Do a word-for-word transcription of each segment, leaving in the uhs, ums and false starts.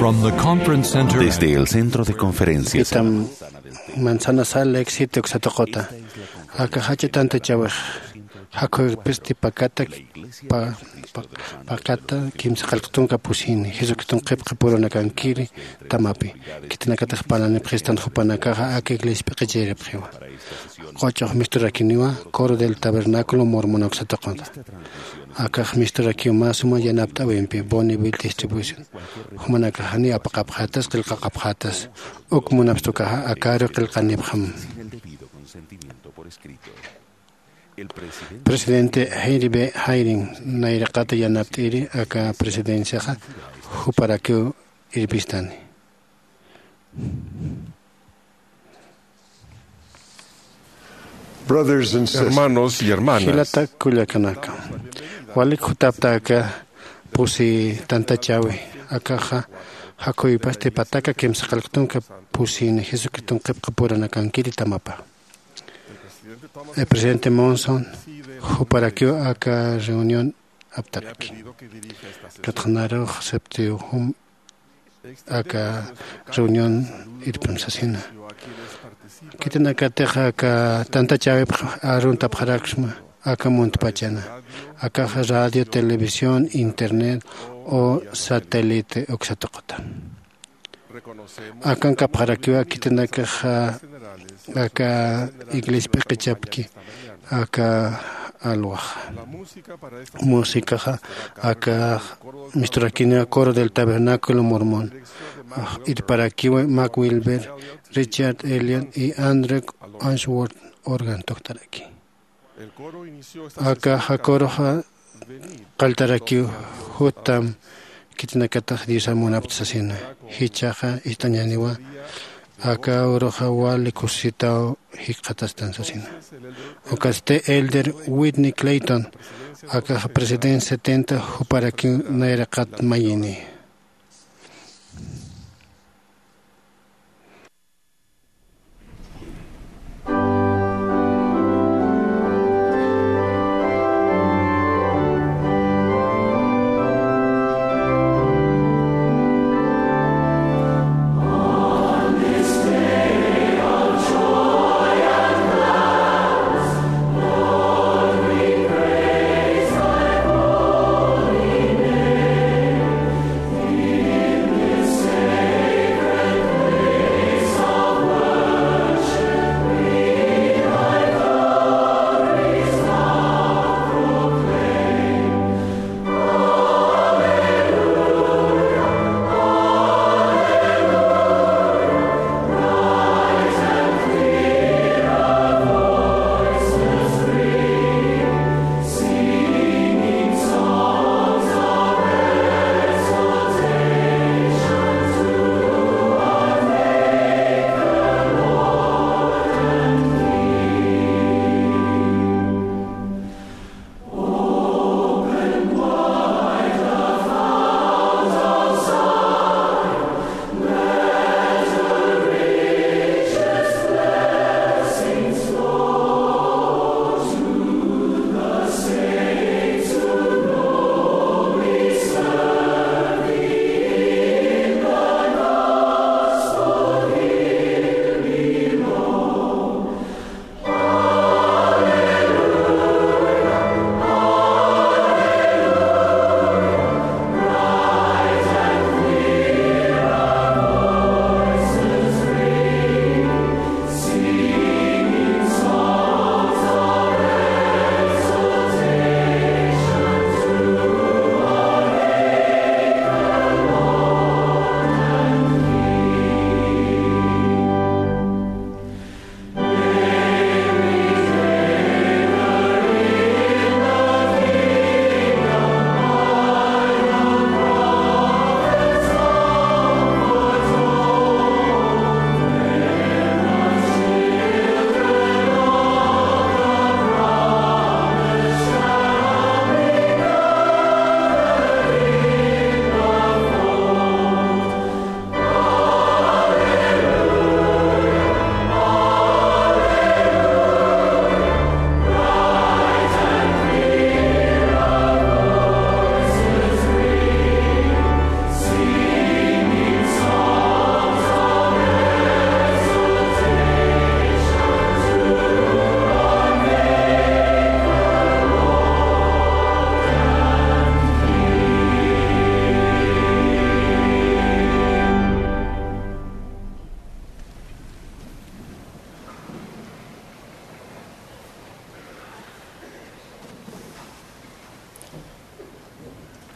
From the conference center. Desde el centro de conferencias. Itam manzana sal éxito uksatuqota. Aka jach'a tantachawix jakhuwipisti pakata pa- pa- pakata kimsa qallqtunka pusini Jesucriston qhipqi purunakankiri tamapi. Khitinakatix parlanipxistan jupanakaxa aka iglesia p'iqichiripxiwa. Quch'ux misturakiniwa coro del tabernáculo mormona uksatuqota. Akax misturakiw mä suma yanapt'äwimpi bonneville distribución. Jumanakax janiw apaqapxätas qillqaqapxätas. Uk munapxtukaxa akaru qillqanipxam. Presidente Henry B. Hayring nayraqata yanapt'iri aka presidenciaxa juparakiw irpistani. Brothers and sisters. Hermanos y hermanas. Jilata kullakanaka, walik jutapta aka pusi tantachäwi. Akaxa jakhuwipasti pataka kimsa qallqtunka pusini Jesucriston qhipqi purunakankiri tamapa. El presidente Monson juparakiw aka reunión aptaraki. Katxanarux septiw jum aka reunión irpim sasina. Khitinakatix aka tantachäwipx aruntapxaraksma aka muntpachana. Akax radio, televisión, internet o satélite uksatuqota. Akankapxarakiwa khitinakaxa aka iglesia p'iqichapki aka alwaxa. Músicaxa aka misturakiniwa coro del tabernáculo mormón. Irparakiwa Mac Wilber, Richard Elliot y Andrew Ashworth organ toctaraki. Aka jaküruxa qalltarakiw jutam khitinakatix Diosan munapta sasina. Jichhaxa ist'añäniwa aka uruxa wali kusisitaw jikxatastan sasina. Ukatsti elder Whitney Clayton akaxa presidente setenta juparakiw nayraqat mayini.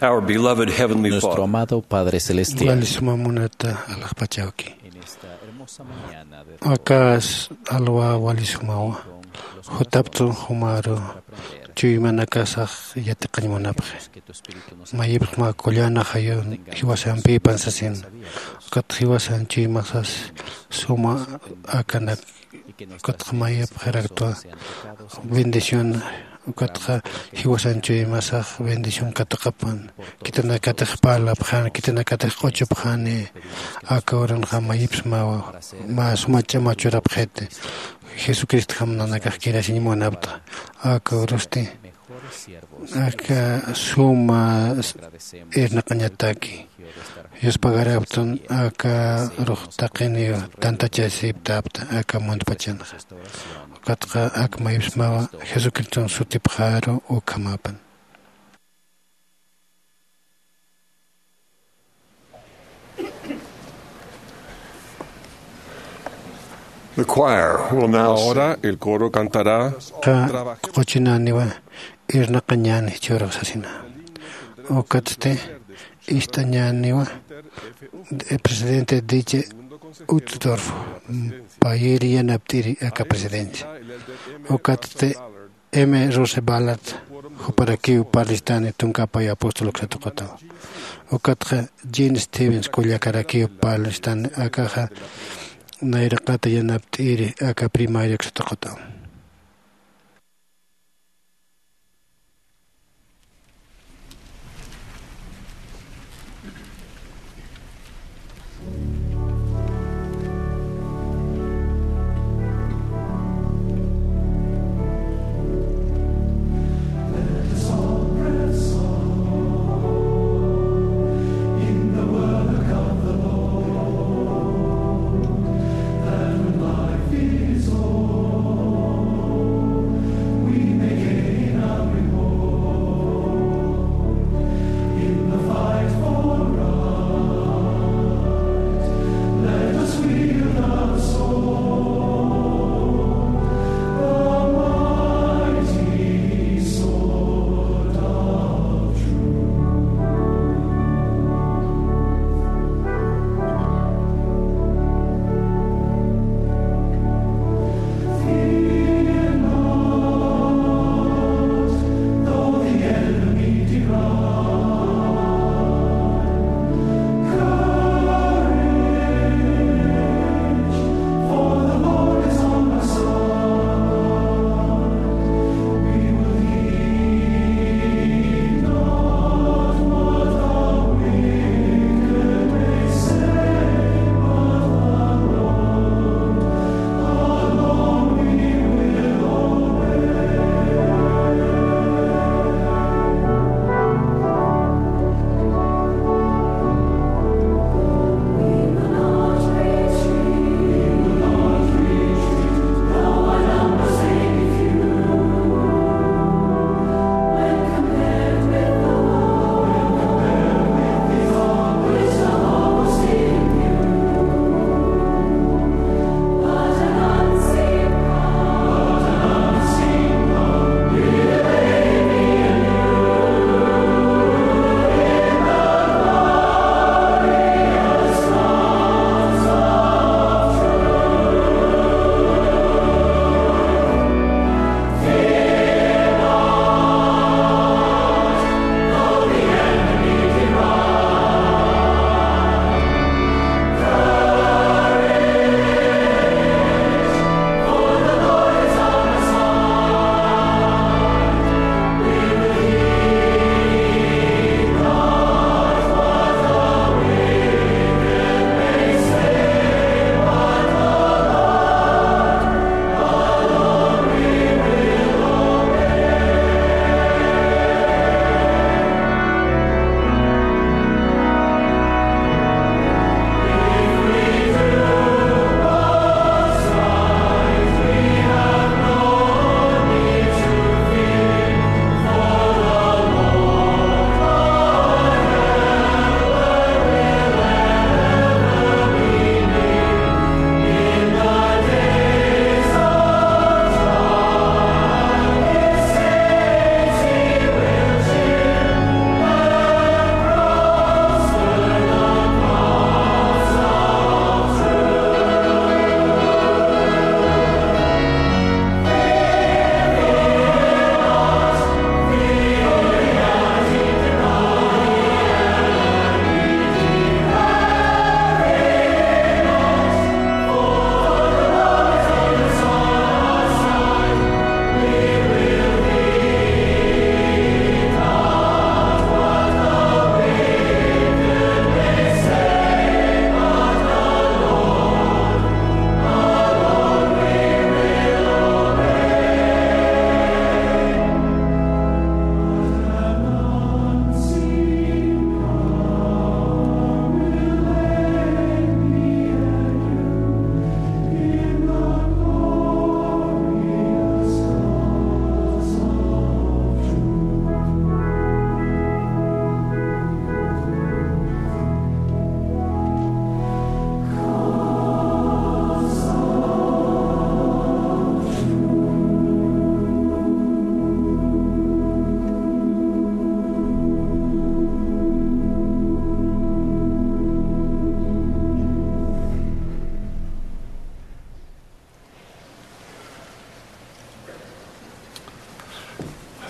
Our beloved Heavenly Nuestro Father. Amado Padre Celestial. Wali suma munata alaxpachawki. En esta hermosa mañana de akas alwa wali sumawa. Jutaptun jumaru chuymanakasax yatiqañ munapxi. Mayipxma kullana jayun jiwasampipan sasin. Ukat jiwasan chuymasas suma akanak. Ukatxa mayipxiraktwa bendición. Ukatxa jiwasan chuymasax bendición katuqapan. Khitinakatix parlapxani, khitinakatix q'uchupxani. Aka uranxa mayipsmawa mä suma ch'ama churapxiti. Jesucristo jamnanakax kirasiñ munapta. Aka urusti aka suma irnaqañataki. Yuspagaraptun aka rux taqiniw tantachasiptapta aka muntpachanxa. Ukatxa ak mayipsmawa Jesucriston sutipxaru ukhamapan. The choir will now sing. Ahora el coro cantará. Qa quchinaniwa irnaqañan jichhürux sasina. Ukatsti ist'añaniwa presidente Diche Uchtdorf, payïri yanapt'iri aka presidencia. Ukatsti M. Rose Ballard, juparakiw parlistani tunka pay apóstol uksatuqutaw. Ukatxa Jean Stevens kullakarakiw parlistani akaxa nayraqata yanapt'iri aka primaria uksatuqutaw.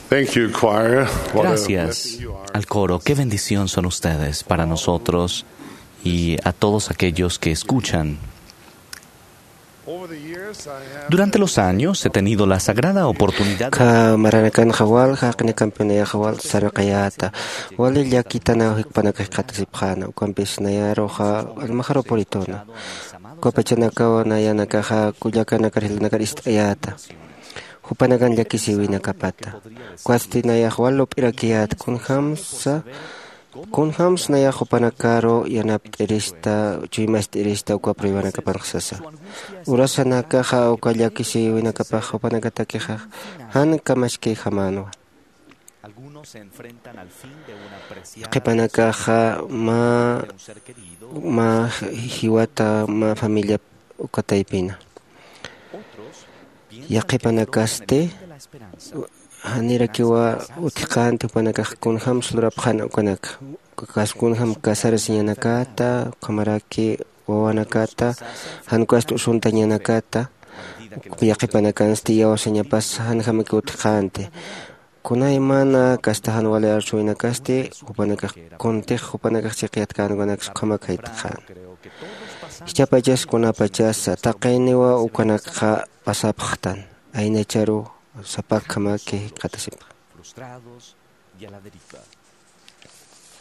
Thank you, choir. What a Gracias blessing you are. Al coro. Qué bendición son ustedes para nosotros y a todos aquellos que escuchan. Over the years, I have Durante los años he tenido la sagrada oportunidad de Kha maranakanxa wal, jaqinakampi nayaxa wal saraqayäta. Wali llakitanaw jikpanakax jikxatasipxäna, ukampis nayaruxa almaxaru purituna. Ukapachanakaw nayanakaxa kullakanakar jilanakar ist'ayäta. Jupanakan llakisïwinakapata. Ukasti nayax wal lup'irakiyät kunjamsa, kunjams nayax jupanakaru yanapt'irista, chuymast'irista uka pruebanakapanx sasa. Urasanakaxa uka llakisïwinakapax jupanakatakixa jan kamachkayjamänwa. Qhipanakaxa mä, mä jiwata, mä familia uka taypina. Yaqhipanakasti janirakiwa utjkänti jupanakax kunjams lurapxäna ukanaka. Kas kunjam casarasiñanakata, ukhamaraki wawanakata, jan ukasti usuntañanakata, yaqhipanakansti iyawsañapas janjamaki utjkänti. Kunaymana kasta jan wali arsuwinakasti, jupanakax kuntix, jupanakax chiqyatkäna ukanaksa ukhamak jayt'xäna. Jichhapachas kunapachasa, taqiniwa ukanakxa pasapxtan, aynacharu sapakjamaki jikxatasipxi. Frustrados y a la deriva.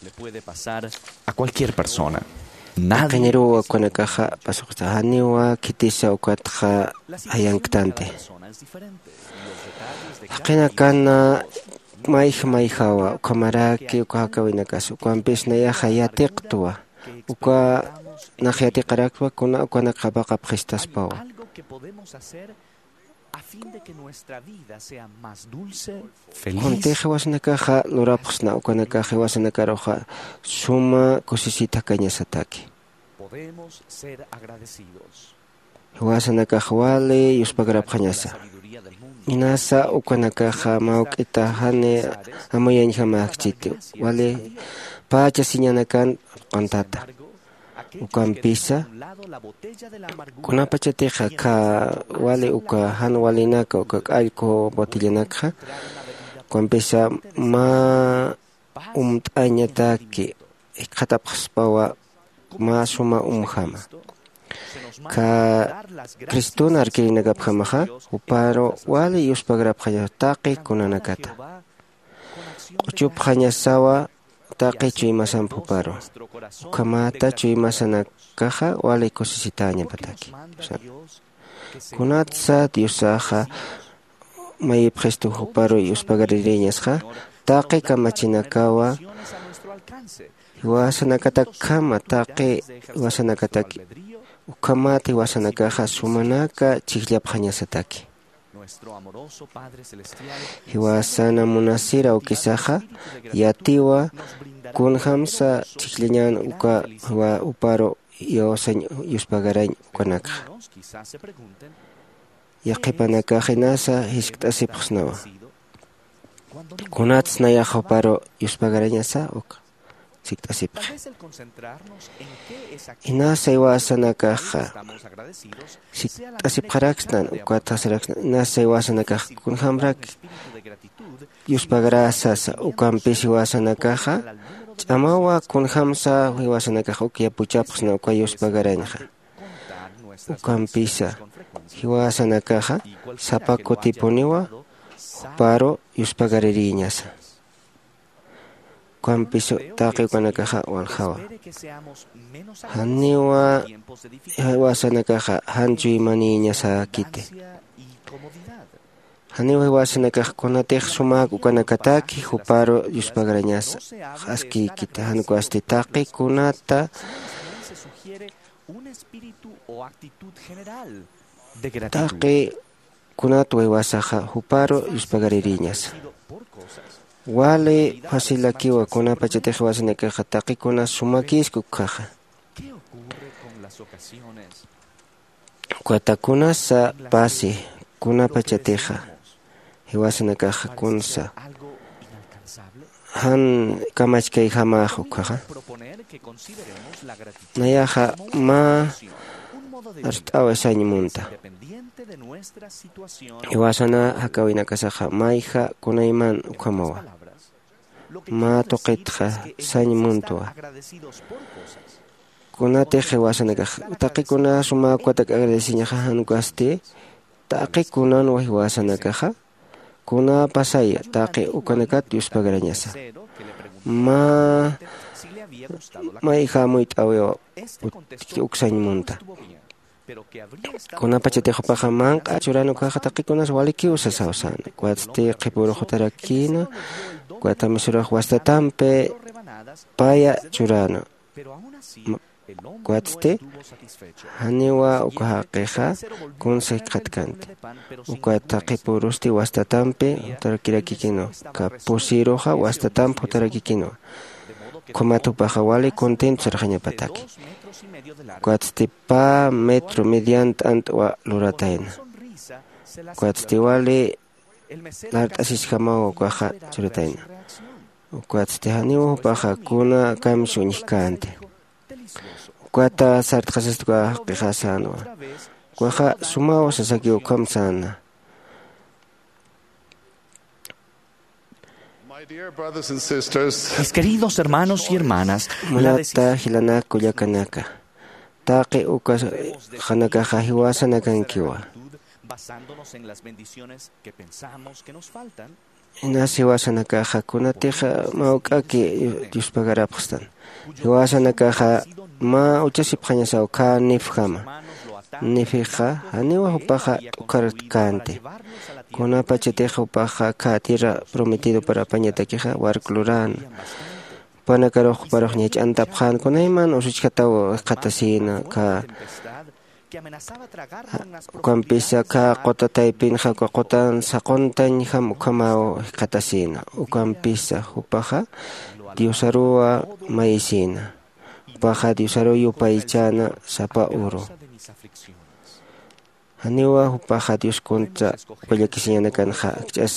Le puede pasar a cualquier persona. Nadie Taqiniruwa ukanakaxa pasuqta, janiwa khitisa ukatxa jayanktanti. Jaqinakana mayj mayjawa, ukhamaraki uka jakawinakas, ukampis nayaxa yatiqtwa, uka nax yatiqaraktwa kuna ukanak qhapaqapxistaspawa. Algo que podemos hacer a fin de que nuestra vida sea más dulce, feliz. Kuntix jiwasanakaxa lurapxsna ukanakax jiwasanakaruxa suma kusisitakañasataki. Podemos ser agradecidos. Jiwasanakax wali yuspagarapxañasa. Inasa ukanakaxa mawk'ita jani amuyañjamäkchiti. Wali pachasiñanakan q'untata. Ukampisa, kunapachatixa kha wali uka jan walinaka uka k'allku botellanakxa, ukampisa mä umt'añataki jikxatapxaspawa mä suma umjama. Kha Criston arkirinakapjamaxa, juparu wali yuspagarapxaña taqi kunanakata. Q'uchupxañasawa taqi chuymasamp juparu. Ukhamata chuymasanakaxa wali kusisitäñapataki. Kunatsa Diosaxa mayipxistu juparu yuspagaririñasxa, taqi kamachinakawa jiwasanakatakjama, taqi jiwasanakataki. Ukhamat jiwasanakaxa sumanaka chhijllapxañasataki. Jiwasana munasir awkisaxa yatiwa kunjamsa chhijllañän uka jiwa juparu iyawsañ yuspagarañ ukanakxa. Yaqhipanakax inasa jiskt'asipxsnawa. Kunats nayax juparu yuspagarañasa uk sikt'asipxi. Inasa jiwasanakaxa sikt'asipxaraksnan, ukat saraksnan, inasa jiwasanakax kunjamrak yuspagarä sasa, ukampis jiwasanakaxa ch'amawa kunjamsa jiwasanakax uk yapuchapxsna uka yuspagarañxa. Ukampisa jiwasanakaxa sapa kutipuniwa juparu yuspagaririñasa. Ukampis taqi ukanakaxa waljawa. Janiwa jiwasanakaxa jan chuymanïñasäkiti. Janiwa jiwasanakax kunatix sumak ukanakataki juparu yuspagarañasa askïkiti, jan ukasti taqi kunata, taqi kunat jiwasaxa juparu yuspagaririñasa. Wali facilakiwa kunapachatix jiwasanakaxa taqi kuna sumakïski ukhaxa. Ukata kunasa pasi kunapachatixa jiwasanakaxa kunsa jan kamachkayjamax ukhaxa. Nayaxa mä arst'awi sañ munta. Jiwasana jakäwinakasaxa mayja kunayman ukhamawa. Mä tuqitxa sañ muntwa. Kunatix jiwasanakax taqi kuna suma ukatak agradeciñaxa jan ukasti, taqi kunanwa jiwasanakaxa kuna pasaya taqi ukanakat yuspagarañasa. Mä mayja amuyt'awiwa uk sañ munta. Kunapachatix jupaxa manq'a churan ukaxa taqi kunas walikiw sasaw säna. Ukatsti qhipürux jutarakïna, ukat amisurux wastatampi paya churäna. Ukatsti janiwa uka jaqixa kunsa jikxatkanti. Ukat qhipürusti wastatampi jutarakirakïkinwa, uka pusïruxa wastatamp jutarakikinwa. Ukhamat jupaxa wali contento sarxañapataki. Ukatsti pä metro median t'ant'wa luratayna. Ukatsti wali lart'asisjamaw ukaxa churatayna. Ukatsti janiw jupaxa kuna kamsa uñjkänti. Ukata sartxasist uka jaqixa sänwa. Ukaxa sumaw sasakiw ukham säna. Mis queridos hermanos y hermanas, la deci- Munata jilanak kullakanaka, taqi uka qhanakaxa jiwasanakankiwa. Basándonos en las bendiciones que pensamos que nos faltan, inas jiwasanakaxa kunatix mawk'aki yuspagarapxstan. Jiwasanakaxa mä uchasipxañasaw khä nifjama. Nifixa janiwa jupaxa t'ukharkänti. Kunapachatix jupaxa khä tierra prometidopar apañatakixa wark luräna. Jupanakarux juparux ñach'antapxän kunayman usuchjataw jikxatasïna khä. Ukampisa khä quta taypinxa uka qutan saquntañjam ukhamaw jikxatasïna. Ukampisa jupaxa diosaruwa mayisïna. Jupaxa diosaruw yupaychäna sapa uru. Janiwa jupaxa dios kuntsa uka llakisiñanakanxa akch'as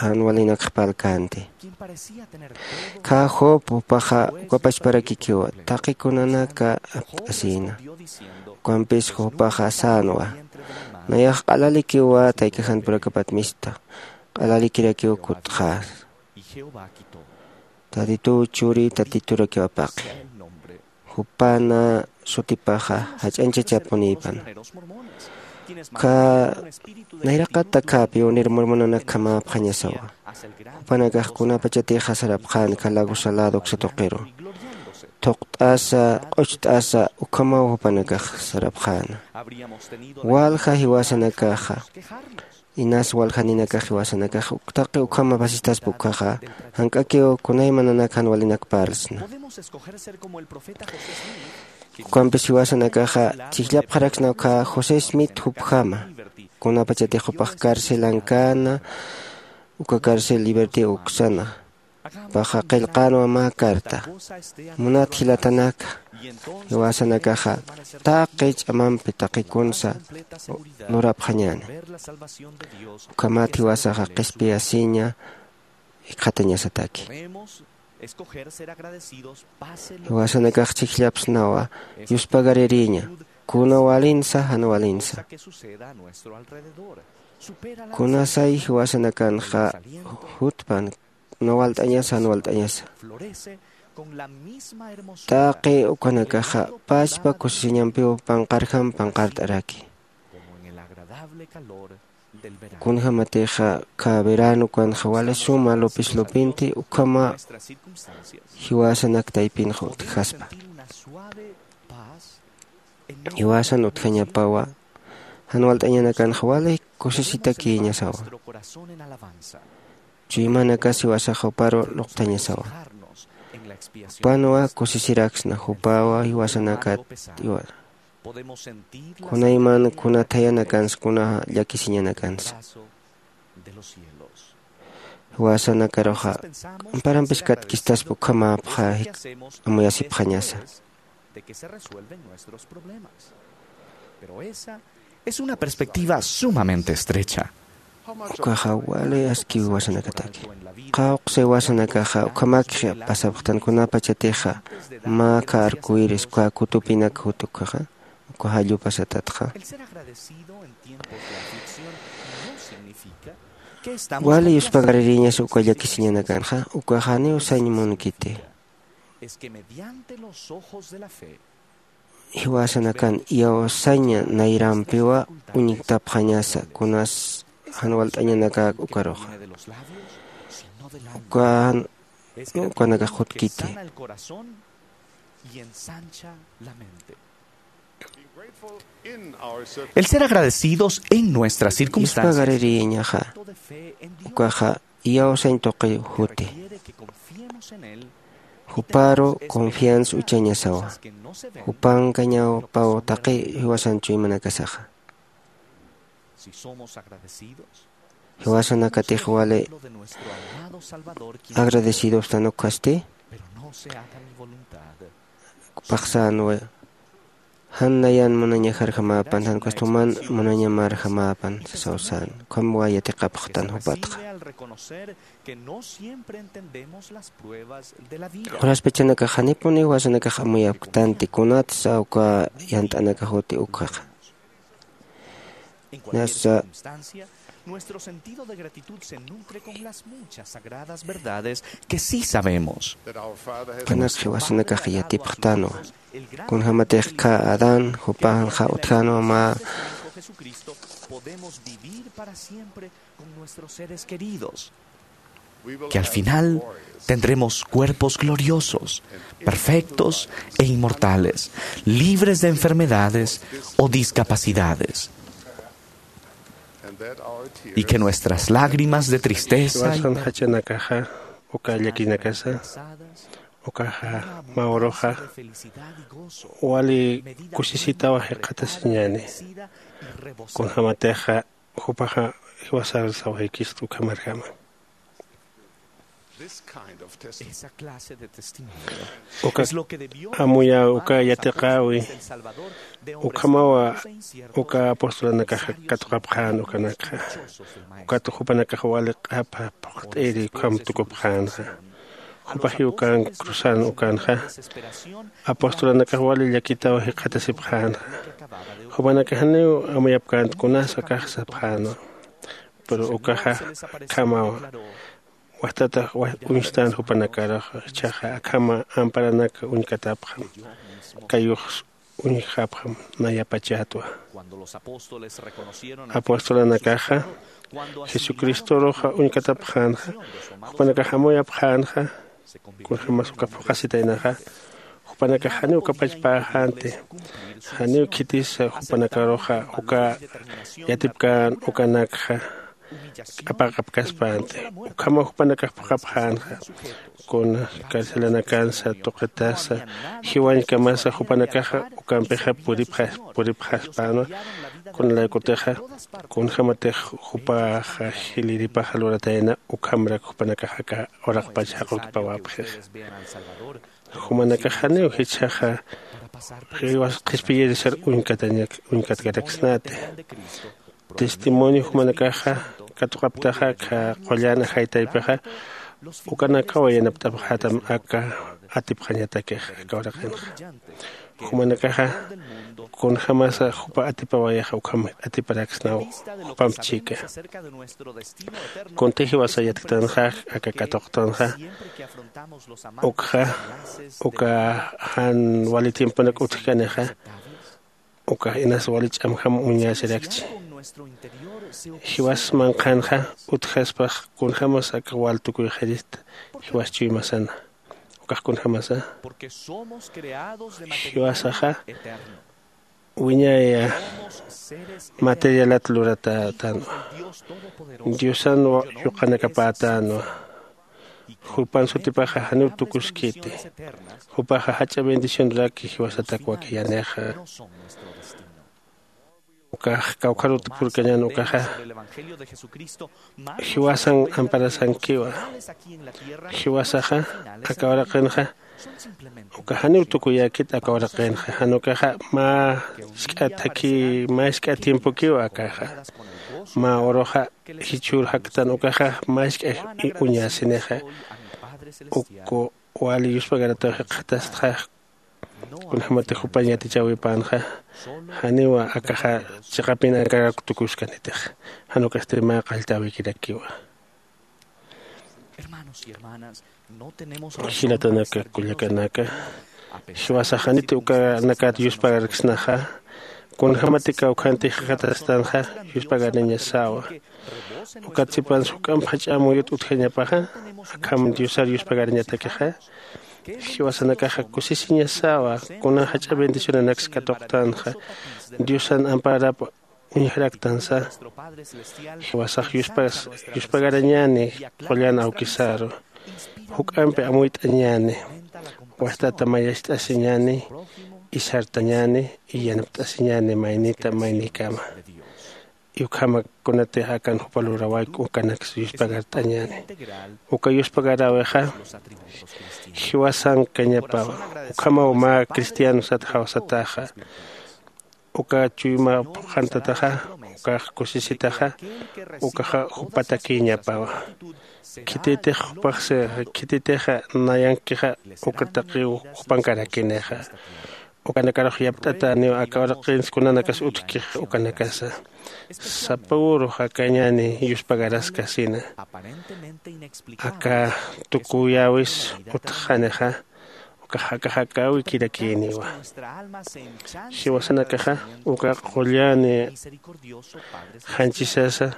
jan walinakx parlkänti. Khä job jupaxa uka pachparakikiwa taqi kunanaka apt'asïna. Ukampis jupaxa sänwa, nayax q'alalikiwa taykajan purakapat mista, q'alalikirakiw kutxäsa. Tatituw churi tatiturakiw apaqi. Jupana sutipaxa jach'añchachapunïpana. Ukkha nayraqat akhäpiw nir murmunanak khamäpxañasawa. Jupanakax kunapachatixa sarapxän kalagusa lado uksa tuqiru, thuqt'asa q'ucht'asa ukhamaw jupanakax sarapxäna. Walja jiwasanakaxa inas waljaninakax jiwasanakax uktaqi ukhama pasistaspa ukkhaxa, jank'akiw kunaymananaka jan walinak parlsna. Ukampis jiwasanakaxa chhijllapxaraksna ukkha josé smith jupjama. Kunapachatix jupax carcelankäna, uka carcel libertiw uksana. Jupaxa qillqänwa mä carta. Munat jilatanaka, jiwasanakaxa taqi ch'amampi taqikunsa lurapxañäni. Ukhamat jiwasaxa qhispiyasiña jikxatañasataki. Jiwasanakax chhijllapsnawa yuspagaririña, kuna walinsa jan walinsa. Kunasay jiwasanakanxa jutpan, kuna walt'añasa jan walt'añasa. Taqi ukanakaxa pachpa kusisiñampiw panqarjam panqart'araki. Kunjämatixa kha verano ukanxa wali suma lupis lupinti ukhama jiwasanak taypinxa utjaspa. Jiwasan utjañapawa jan walt'añanakanxa wali kusisitakïñasawa. Chuymanakas jiwasax juparu luqthañasawa. Jupanwa kusisiraksna jupawa jiwasanakat iwa. Kunayman kuna thayanakansa kuna llakisiñanakansa. Jiwasanakaruxa amparampis katkistaspa ukhamäpxa amuyasipxañasa. Es una perspectiva sumamente estrecha. Ukaxa wali askiw jiwasanakataki. Qawqsi jiwasanakaxa ukhamakix pasapxtan kunapachatixa mä kha arcoiris uka kutupinak jut ukkhaxa. Uka jallupasatatxa. Wali yuspagaririñasa uka llakisiñanakanxa, ukax janiw sañ munkiti. Jiwasanakan iyawsaña nayrampiwa uñktapxañasa, kunas jan walt'añanakak ukaruxa. Ukan ukanakax jutkiti. El ser agradecidos en nuestras circunstancias. Yuspagaririñaxa, ukaxa iyawsañ tuqi juti. Juparu confianza uchañasawa. Jupankañaw paw taqi jiwasan chuymanakasaxa. Jiwasanakatix wali agradecidos tanukasti. Paxsänwa, jan nayan munañajarjamäpan, jan kast'uman munañamarjamäpan sasawsän. Ukham wayatiqapxtan jupatxa. Quraspachanakax janipuni jiwasanakax amuyapktanti, kunatsa uka yant'anakax juti ukhaxa. Nasa nuestro sentido de gratitud se nutre con las muchas sagradas verdades que sí sabemos. Kanak jiwasanakax yatipxtanwa. Kunjamatix kha Adán jupanxa utjänwa mä. Podemos vivir para siempre con nuestros seres queridos. Que al final tendremos cuerpos gloriosos, perfectos e inmortales, libres de enfermedades o discapacidades. Y que nuestras lágrimas de tristeza y jiwasan jachanakaxa, uka llakinakasa, ukaxa mä uruxa wali kusisitawa jikxatasiñäni. Kunjamatixa jupaxa jiwasar sawjaykistu ukhamarjama. Uka amuya uka yatiqäwi, ukhamawa uka apostolanakaxa katuqapxän ukanakxa. Ukat jupanakax wali q'apa phuqt'iri ukham tukupxänxa. Jupax jiwkan cruzan ukanxa, apostolanakax wali llakitaw jikxatasipxänxa. Jupanakax janiw amuyapkänti kunas akax sapxänwa. Pero ukaxa khamawa. Wajtatax waj uñstän jupanakaruxa, jichhaxa akhama amparanak uñkatapxam, kayux uñjapxam nayapachatwa. Apostolanakaxa Jesucristoruxa uñkatapxänxa, jupanakax amuyapxänxa, kunjämas uka phuqhasitaynaxa, jupanakax janiw ukapachpäxänti, janiw khitisa jupanakaruxa uka yatipkän ukanakxa q'apaqapkaspänti. Ukhamaw jupanakax phuqhapxänxa, kun carcelanakansa tuqitasa jiwañkamasa jupanakaxa ukampixa puripxas puripxaspänwa. Kunalaykutixa kunjämatix jupaxa jilïripaxa luratayna, ukhamrak jupanakax aka uraqpach jaqukipawapxixa. Jumanakax janiw jichhaxa jiwas qhispiyirisar uñkatañak uñkatkaraksnati. Testimonio jumanakaxa katuqaptaxa aka qullan ajaytaypixa, ukanakaw yanapt'apxätam aka atipxañatakixa aka uraqinxa. Jumanakaxa kunjämasa jupa atipawayaxa ukham atiparaksnaw jupamp chika. Kunti jiwasa yatktanxa aka katuqtanxa, ukxa uka jan wali tiemponak utjkanixa, ukax inas wali ch'amjam uñasirakchi. Jiwas manqhanxa utjaspax kunjämas aka wal tukuyxirista jiwas chuymasana. Ukax kunjämasa, jiwasaxa wiñaya materialat luratätanwa. Diosan yuqanakapätänwa. Jupan sutipaxa janiw tukuskiti. Jupaxa jach'a bendicionraki jiwasatak wakiyanixa. Ukax kawkharut purkañän ukaxa jiwasan amparasankiwa. Jiwasaxa aka uraqinxa uka janiw tukuyäkit aka uraqinxa, jan ukaxa mä jisk'a thakhi mä jisk'a tiempokiwa akaxa. Mä uruxa jichhür jaktan ukaxa mä jisk'a uñasinixa. Uk wali yuspagarataw jikxatastxa. Kunjämatix jupañ yatichäwipänxa, janiwa akaxa chiqapin akarak tukuskanitix, jan ukasti mä qalltäwikirakiwa. Jilatanaka, kullakanaka, jiwasax janiti ukanakat yuspagarksnaxa, kunjämati kawkhantix jikxatastanxa, yuspagarañasawa. Ukat sipans juk'amp jach'a amuyut utjañapaxa, akham Diosar yuspagarañatakixa, jiwasanakaxa kusisiñasawa, kuna jach'a bendicionanaks katuqtanxa, Diosan amparap uñjaraktansa, jiwasax yuspas-, yuspagarañäni qullan awkisaru, juk'ampi amuyt'añäni, wastata mayacht'asiñäni, isartañäni, y yanapt'asiñäni maynita maynïkama. Y ukhama kunatix akan jupa lurawayku ukanaks yuspagart'añäni. Uka yuspagaräwixa jiwasankañapawa. Ukhamaw mä cristiano sat jawsataxa. Uka chuyma phuqhantataxa, ukax kusisitaxa, ukaxa jupatakïñapawa. Khititix jupax, khititixa nayankixa, uka taqiw jupankarakinixa. Ukanakarux yapt'atäniw aka uraqins kunanakas utjkix ukanakasa. Sapa uru jakañäni yuspagaraskasina. Aka tukuyäwis utjxanixa, ukax akaxakäwikirakïniwa. Jiwasanakaxa uka qullan janchisasa,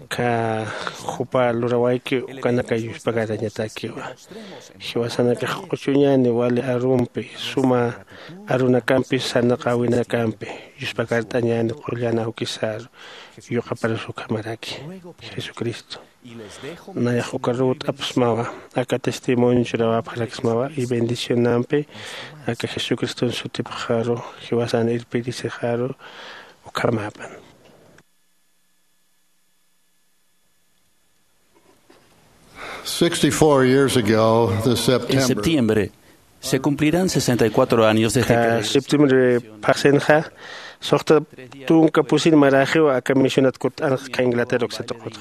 ka jupa lurawayki ukanaka yuspagarañatakiwa. Jiwasanakax q'uchuñäni wali arumpi, suma arunakampi, sarnaqäwinakampi, yuspagart'añäni qullan awkisaru, yuqaparus ukhamaraki. Jesucristo. Nayax uka ruwt'apxsmawa, aka testimonio churawapxaraksmawa, y bendicionampi, aka Jesucriston sutipxaru, jiwasan irpirisixaru, ukhamäpan. Sixty-four years ago, this En September, septiembre, se cumplirán sesenta y cuatro años desde Ka que septiembre phaxsinxa, suxta tunka pusin maraxiw aka misionat kutt'anx ka Inglaterra uksa tuqutxa.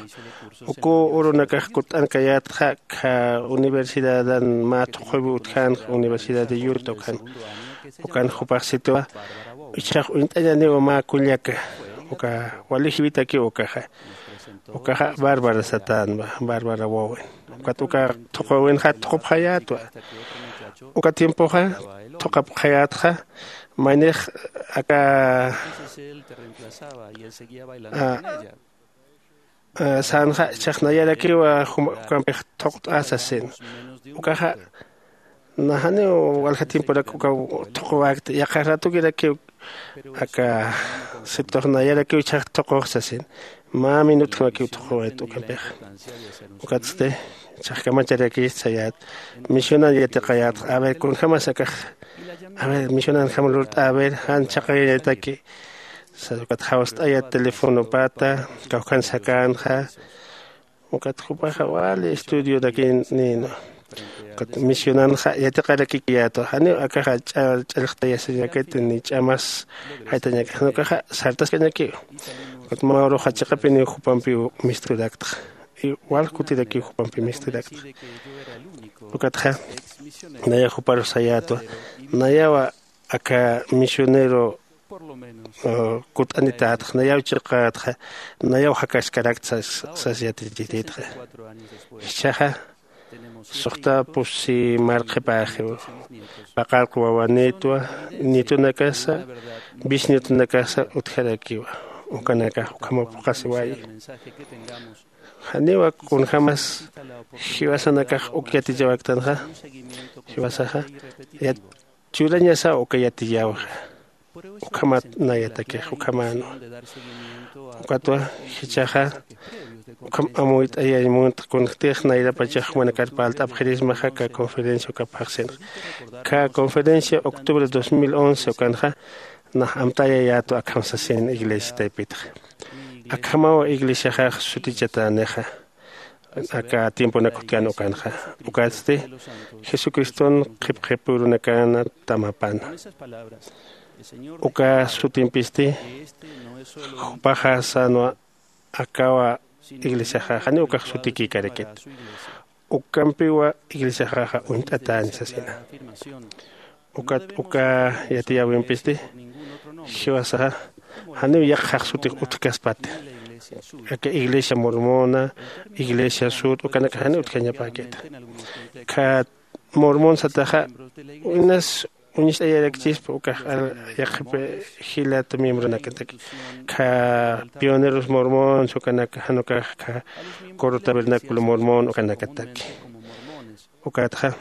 Uku urunakax kutt'ankayätxa, ka universidadan mä thuqhuwi utjänxa, Universidad de Utah ukan. Ukan jupax sitiwa, ichhax uñt'añäniwa mä kullaka, uka wali jiwitakiw ukaxa. Ukaxa Bárbara satänwa, Bárbara Bowen. Ukat uka thuqhuwinxa thuqupxayätwa. Uka tiempoxa thuqapxayätxa, maynix aka, a, a, sänxa, ichhax nayarakiwa juma-, ukampix thuqt'ä sasin. Ukaxa, na janiw walja tiemporak uka thuqwäkti, yaqha ratukirakiw aka situx nayarakiw ichhax thuqux sasin. Mä minutjamakiw thuqwayt ukampix. Ukatsti, ichhax kamacharakist sayät, misionan yatiqayät, a ver, kunjamas akax, a ver, misionanjam lurt'a, a ver, jan chhaqayañataki. Sas ukat jawst'ayät telefonopata, kawkhan sakänxa, ukat jupaxa wali estudiorakinïnwa. Ukat misionanxa yatiqarakikiyätwa. Janiw akaxa ch'a-, ch'allxtayasiñakiti ni ch'amas jaytañakiti. Jan ukaxa sartaskañakiw. Ukat mä uruxa chiqapiniw jupampiw misturaktxa. Y wal kutirakiw jupampi misturaktxa. Ukatxa nayax juparus sayätwa. Nayawa aka misionero, uh, kutt'anitätxa, nayaw chiqätxa, nayaw jakaskarakta sas, sas yatichititxa. Jichhaxa, suxta pusi marqhipäxiw, paqallq wawanïtwa, nietonakasa, bisnietonakasa utjarakiwa, ukanakax ukhamaw phuqhasiwayi. Janiwa kunjamas jiwasanakax uk yatichawaktanxa, jiwasaxa, yat-, churañasaw uka yatiyäwixa. Ukhamat nayatakix, ukhamänwa. Ukatwa, jichhaxa, ukham amuyt'ayañ munt kunjtix nayrapachax jumanakar parlt'apxirismaxa ka conferencia uka phaxsinxa. Ka conferencia octubre dos mil once ukanxa, nax amtayayätwa akham sasin iglesia taypitxa. Akhamaw iglesiaxax sutichatänixa. Aka tiemponak utjkän ukanxa. Ukatsti, Jesucriston qhipqhipürunakana tamapana. Uka sutimpisti, jupaxa sänwa akawa iglesiaxaxa, janiw ukax sutikïkarakit. Ukampiwa iglesiaxaxa uñt'atäni sasina. Ukat uka yatiyäwimpisti jiwasaxa janiw yaqxax sutix utjkaspati. Aka iglesia mormona, iglesia sud ukanaka janiw utjañapäkita. Kha mormon sataxa inas uñist'ayarakchispa ukax yaqhip jilat miembronakataki. Kha pioneros mormons ukanaka jan ukax kha coro tabernáculo mormon ukanakataki. Ukatxa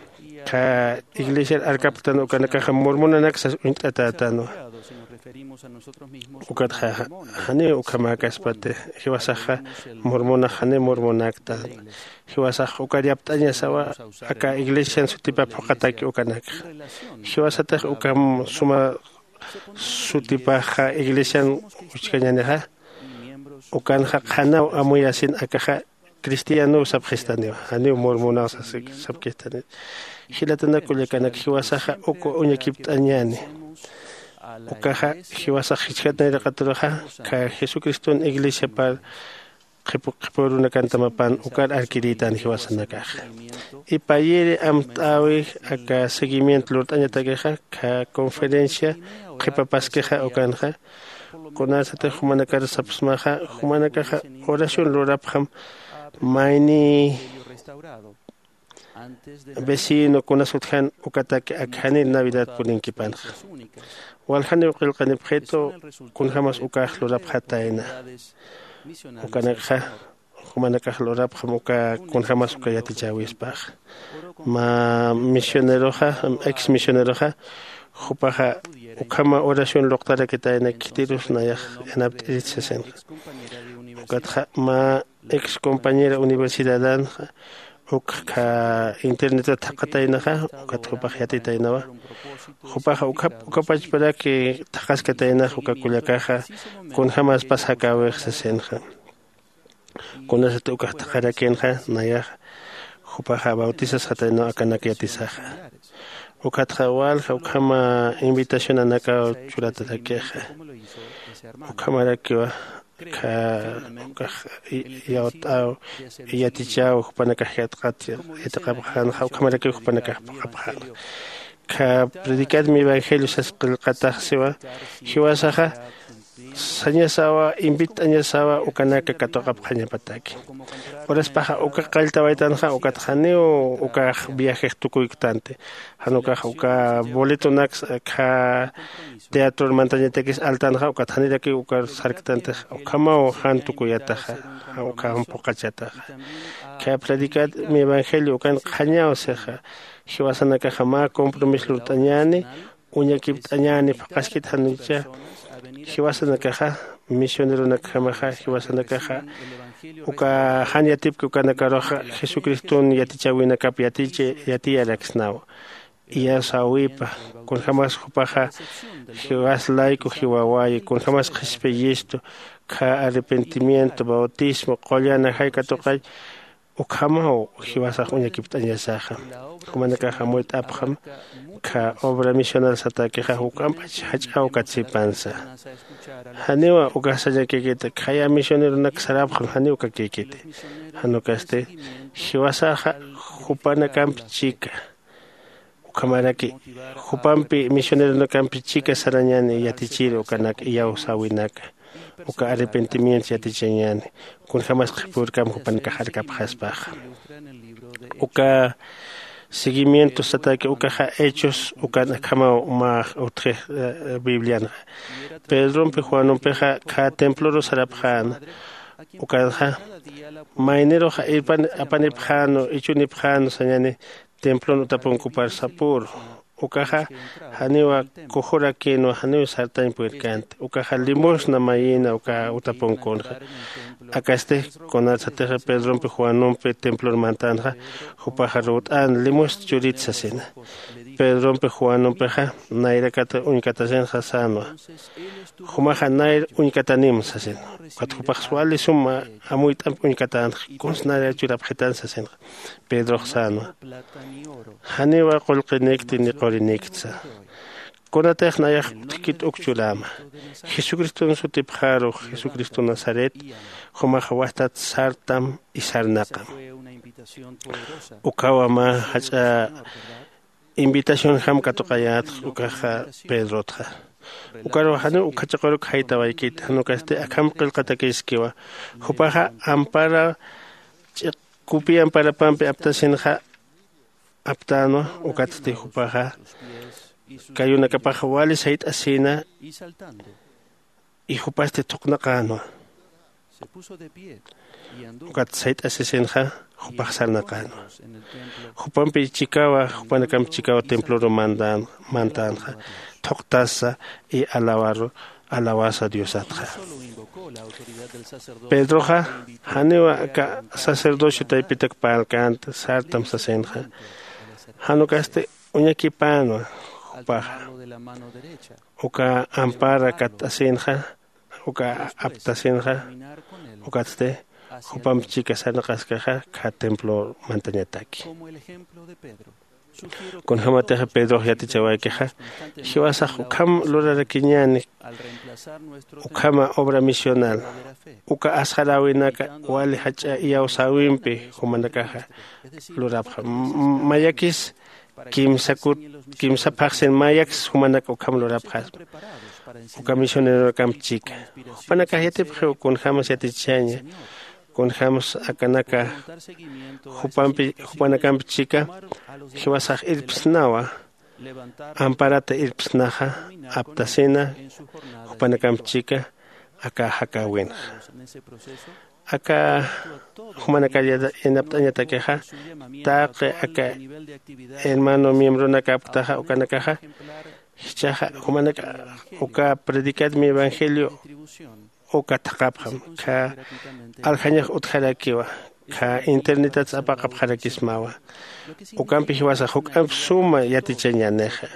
kha iglesiar arkaptan ukanakaxa mormonanak sas uñt'atätanwa. Ukatxa janiw ukhamäkaspati. Jiwasaxa mormonax janiw mormonaktan. Jiwasax ukar yapt'añasawa aka iglesian sutipap phuqataki ukanakxa. Jiwasatix ukham suma sutipaxa iglesian uchkañänixa ukanxa qhanaw amuyasin akaxa cristianow sapxistaniwa janiw mormonaw sapkistani. Jilatanak kullakanak jiwasaxa uk uñakipt'añäni. Ukaxa jiwasax jichhat nayraqaturuxa kha jesucriston iglesiapar qhipu qhipurunakantam apan ukar arkirïtan jiwasanakaxa. Ipayiri amt'äwi aka seguimiento lurt'añatakixa kha conferencia qhipapaskixa ukanxa kunasatix jumanakar sapxsmaxa jumanakaxa oración lurapxam mayni vecino kunas utjan ukataki akjanir navidad purinkipanxa. Waljaniw qillqanipxitu kunjämas ukax lurapxatayna. Ukanakxa jumanakax lurapxam uka kunjämas uka yatichäwispaxa. Mä misioneroxa ex misioneroxa jupaxa ukhama oración luqtarakitayna khitirus nayax yanapt'irit sasinxa. Ukatxa mä ex compañera universidadanxa ukxa internetat thaqhataynaxa ukat jupax yatitaynawa. Jupaxa ukhap ukapachparaki thaqhaskataynax uka kullakaxa kunjämaspas jakäwix sasinxa. Kunasati ukax thaqharakinxa nayax jupaxa bautisasxataynaw akanak yatisaxa. Ukatxa walja ukhama invitacionanakaw churatarakixa. Ukhamarakiwa kha ukax yawt'aw yatichaw jupanakax yatqat yatiqapxänxa ukhamarakiw jupanakax phuqhapxänxa. Kha predicad mi evangelio sas qillqatax siwa jiwasaxa sañasawa invit'añasawa ukanaka katuqapxañapataki. Uraspaxa uka qalltawaytanxa ukat janiw ukax viajex tukuyktanti. Jan ukax uka boletonak kha teatror mantañatakis altanxa ukat janirakiw ukar sarktantix ukhamaw jan tukuyataxa ukham phuqhachataxa. Kha predicad mi evangelio ukan qhañaw sixa jiwasanakaxa mä compromiso lurt'añäni uñakipt'añäni phuqhaskit jan ukaxa jiwasanakaxa misioneronakjamaxa jiwasanakaxa uka jan yatipki ukanakaruxa jesucriston yatichäwinakap yatiyaraksnaw. Iyawsäwipa kunjämas jupaxa jiwas layku jiwawayi kunjämas qhispiyistu kha arrepentimiento bautismo qullan ajay katuqay ukhamaw jiwasax uñakipt'añasaxa. Jumanakax amuyt'apxam kha obra misional satakixa juk'ampach jach'aw katsipansa. Janiwa ukax sañakïkiti khaya misioneronak sarapxam janiw ukakïkiti. Jan ukasti jiwasaxa jupanakamp chika ukhamaraki jupampi misioneronakampi chika sarañäni yatichir ukanak iyawsäwinaka uka arrepentimiento yatichañäni kunjämas qhipürkam jupanakax arkapxaspaxa. Uka seguimiento sataki ukaxa hechos ukan akhamaw mä utji biblianxa. Pedrompi juanumpixa kha temploru sarapxäna ukanxa maynirux apanipxänu ichunipxänu sañäni templon utapunkupar sapüru. Ukaxa janiwa kujurakïnwa janiw sartañ purirkänti ukaxa limosna mayïna uka utapunkunxa. Akasti kunatsatixa pedrompi juanumpi templor mantänxa jupaxa ruwt'än limosna churit sasina. Pedrompi juanumpixa nayrakat uñkatasinxa sänwa jumaxa nayr uñkatanim sasin. Ukat jupax wali suma amuyt'amp uñkatänxa kuns nayra churapxitan sasinxa. Pedrox sänwa janiwa qullqinikti ni qurinikti sä. Kunatix nayax utjkit uk churäma jesucriston sutipxarux jesucristo nazaret jumax wajtat sartam isarnaqam. Ukhawa mä jach'a invitacionjam katuqayätx ukaxa pedrotxa. Ukarux janiw ukhachaqurak jaytawaykit jan ukasti akham qillqatakiskiwa. Jupaxa ampara ch'iq kupi amparapampi aptasinxa aptänwa. Ukatsti jupaxa kayunakapax wali sayt'asïna y jupasti thuqnaqänwa. Ukat sayt'asisinxa jupax sarnaqänwa. Jupampi chikawa jupanakamp chikawa temploru mandan mantänxa thuqtasa y alawaru alawasa diosatxa. Pedroxa janiw aka sacerdocio taypitak parlkänti sartam sasinxa. Jan ukasti uñakipänwa jupaxa uka ampara katt'asinxa uka aptasinxa. Ukatsti jupamp chika sarnaqaskaxa kha templo mantañataki. Kunjämatixa pedrox yatichawaykixa jiwasax ukham lurarakiñäni ukhama obra misional uka asxaräwinaka wali jach'a iyawsäwimpi jumanakaxa lurapxam. Mayakis kimsa kut kimsa phaxsin mayakis jumanak ukham lurapxaspa uka misioneronakamp chika. Jupanakax yatipxiw kunjämas yatichaña kunjämas akanaka jupampi jupanakamp chika jiwasax irpsnawa amparata irpsnaxa aptasina jupanakamp chika aka jakäwinxa. Aka jumanakar yanapt'añatakixa taqi aka hermano miembronakapktaxa ukanakaxa jichhaxa jumanaka uka predicar mi evangelio uka thaqhapxam kha aljañax utjarakiwa kha internetat sapaqapxarakismawa. Ukampi jiwasax juk'amp suma yatichañänixa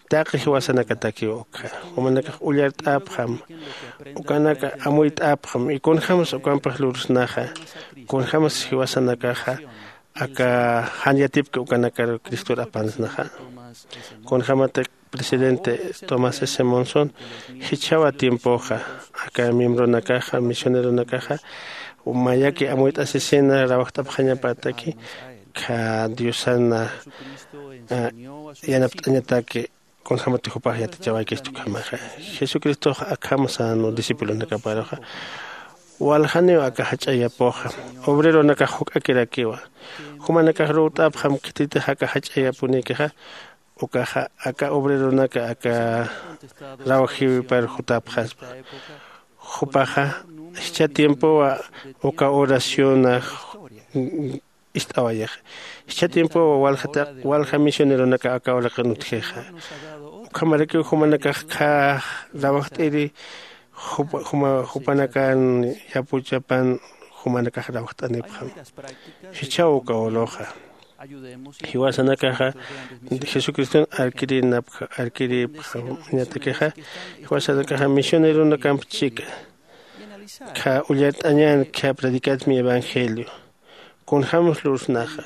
taqi jiwasanakatakiw ukkha jumanakax ullart'apxam ukanaka amuyt'apxam y kunjämsa ukampix lursnaxa kunjämsa jiwasanakaxa aka jan yatipki ukanakar cristor apansnaxa. Kunjämatak presidente tomás s monson jichhawa tiempoxa aka miembronakaxa misioneronakaxa mayaki amuyt'asisina rawajt'apxañapataki kha diosana yanapt'añataki. Kunjämati jupax yatichawaykistu ukhamaxa jesucristox akham sänwa discipulonakaparuxa waljaniw aka jach'ayapuxa obreronakax juk'akirakiwa jumanakax ruwt'apxam khititix aka jach'ayapunïkixa ukaxa aka obreronaka aka rawjiwipar jutapxaspa. Jupaxa jichha tiempowa uka oraciona ist'awayixa jichha tiempowa walja misioneronaka aka uraqin utjixa. Ukhamarakiw jumanakax khä rawajt'iri jupanakan yapuchapan jumanakax rawajt'anipxam. Jichhaw uka uruxa jiwasanakaxa jesucriston arkirinapkha arkiripxañatakixa jiwasanakaxa misioneronakamp chika kha ullart'añän kha predicat mi evangelio kunjämsa lursnaxa.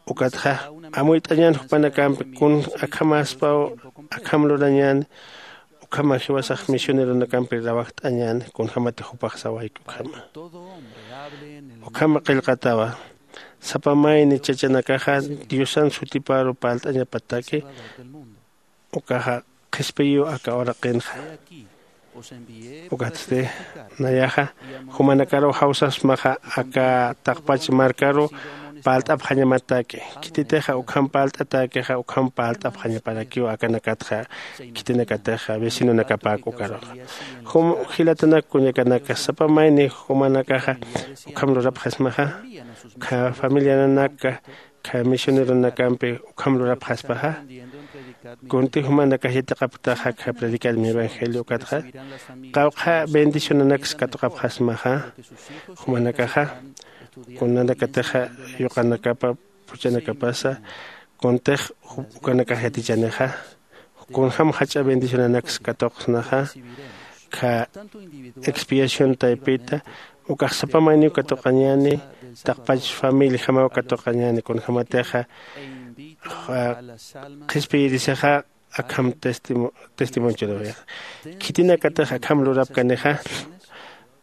Ukatxa amuyt'añän jupanakampi kun akhamäspaw akham lurañäni ukhama jiwasax misioneronakampi rawajt'añäni kunjämati jupax sawayki ukhama. Ukhama qillqatawa sapa mayni chachanakaxa diosan sutiparu parlt'añapataki ukaxa qhispiyiw aka uraqinxa. Ukatsti nayaxa jumanakaruw jawsasmaxa aka taqpach markaruw parlt'apxañamataki khititixa ukham parlt'atäkixa ukham parlt'apxañaparakiw akanakatxa khitinakatixa vecinonakapäk ukaruxa. Jum jilatanak kuñakanaka sapa mayni jumanakaxa ukham lurapxasmaxa ukkha familiananaka kha misioneronakampi ukham lurapxaspaxa. Kunti jumanakax yatiqapktaxa kha predicar mi evangelio ukatxa qawqha bendicionanaks katuqapxasmaxa. Jumanakaxa kunanakatixa yuqanakapa phuchhanakapasa kuntix ukanakax yatichanixa kunjäm jach'a bendicionanaks katuqsnaxa. Kha expiación taypita ukax sapa mayniw katuqañäni taqpach familiajamaw katuqañäni kunjämatixa qhispiyirisixa akham testimonchurwixa khitinakatix akham lurapkanixa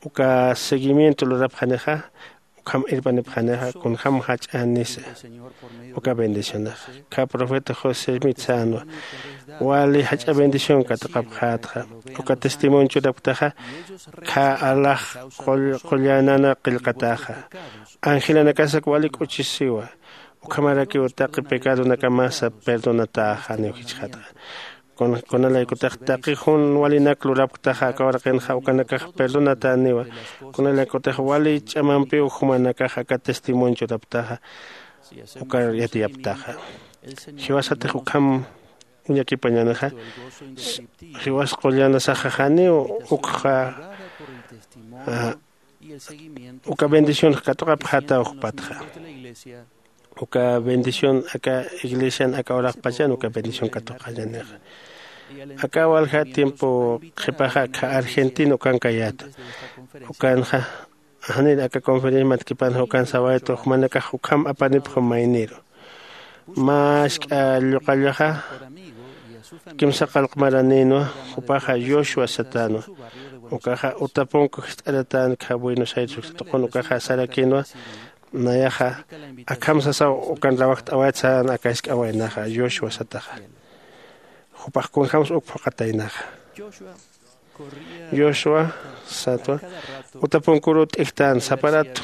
uka seguimiento lurapxanixa. ukham irpanipxanixa kunjäm jach'änisa. Uka bendicionaxa kha profeta josé mitsanwa wali jach'a bendición katuqapxätxa. Uka testimonio churapktaxa kha alax qullanana qillqataxa. Angelanakasak wali k'uchisiwa. Ukhamarakiw taqi pecadonakamasa perdonatäxaniw jichxatxa. Kunalaykutix taqi jun walinak lurapktaxa aka waraqinxa ukanakax perdonatäniwa. Kunalaykutix wali ch'amampiw jumanakax aka testimonio churapktaxa ukar yatiyapktaxa. Jiwasatix ukham uñakipañänixa. Jiwas qullanasaxa janiw ukxa uka bendicionx katuqapxätaw jupatxa. Uka bendición aka iglesian aka uraqpachan uka bendición katuqañänixa. Aka walja tiempo qhipaxa akha argentina ukankayäta. Ukanxa janir aka conferencia matkipanxa ukan sawaytu jumanakax ukham apanipxam mayniru. Mä jisk'a lluqallaxa kimsa qallq maranïnwa. Jupaxa joshua satänwa. Ukaxa utapunku jist'aratän kha buenos aires uksa tuqun ukaxa sarakïnwa. Nayaxa akham sasaw ukan rawajt'awayt saran aka jisk'a waynaxa joshua sataxa. Jupax kunjämsa uk phuqataynaxa. Joshua satwa utapunkuruw t'ijtän sapa ratu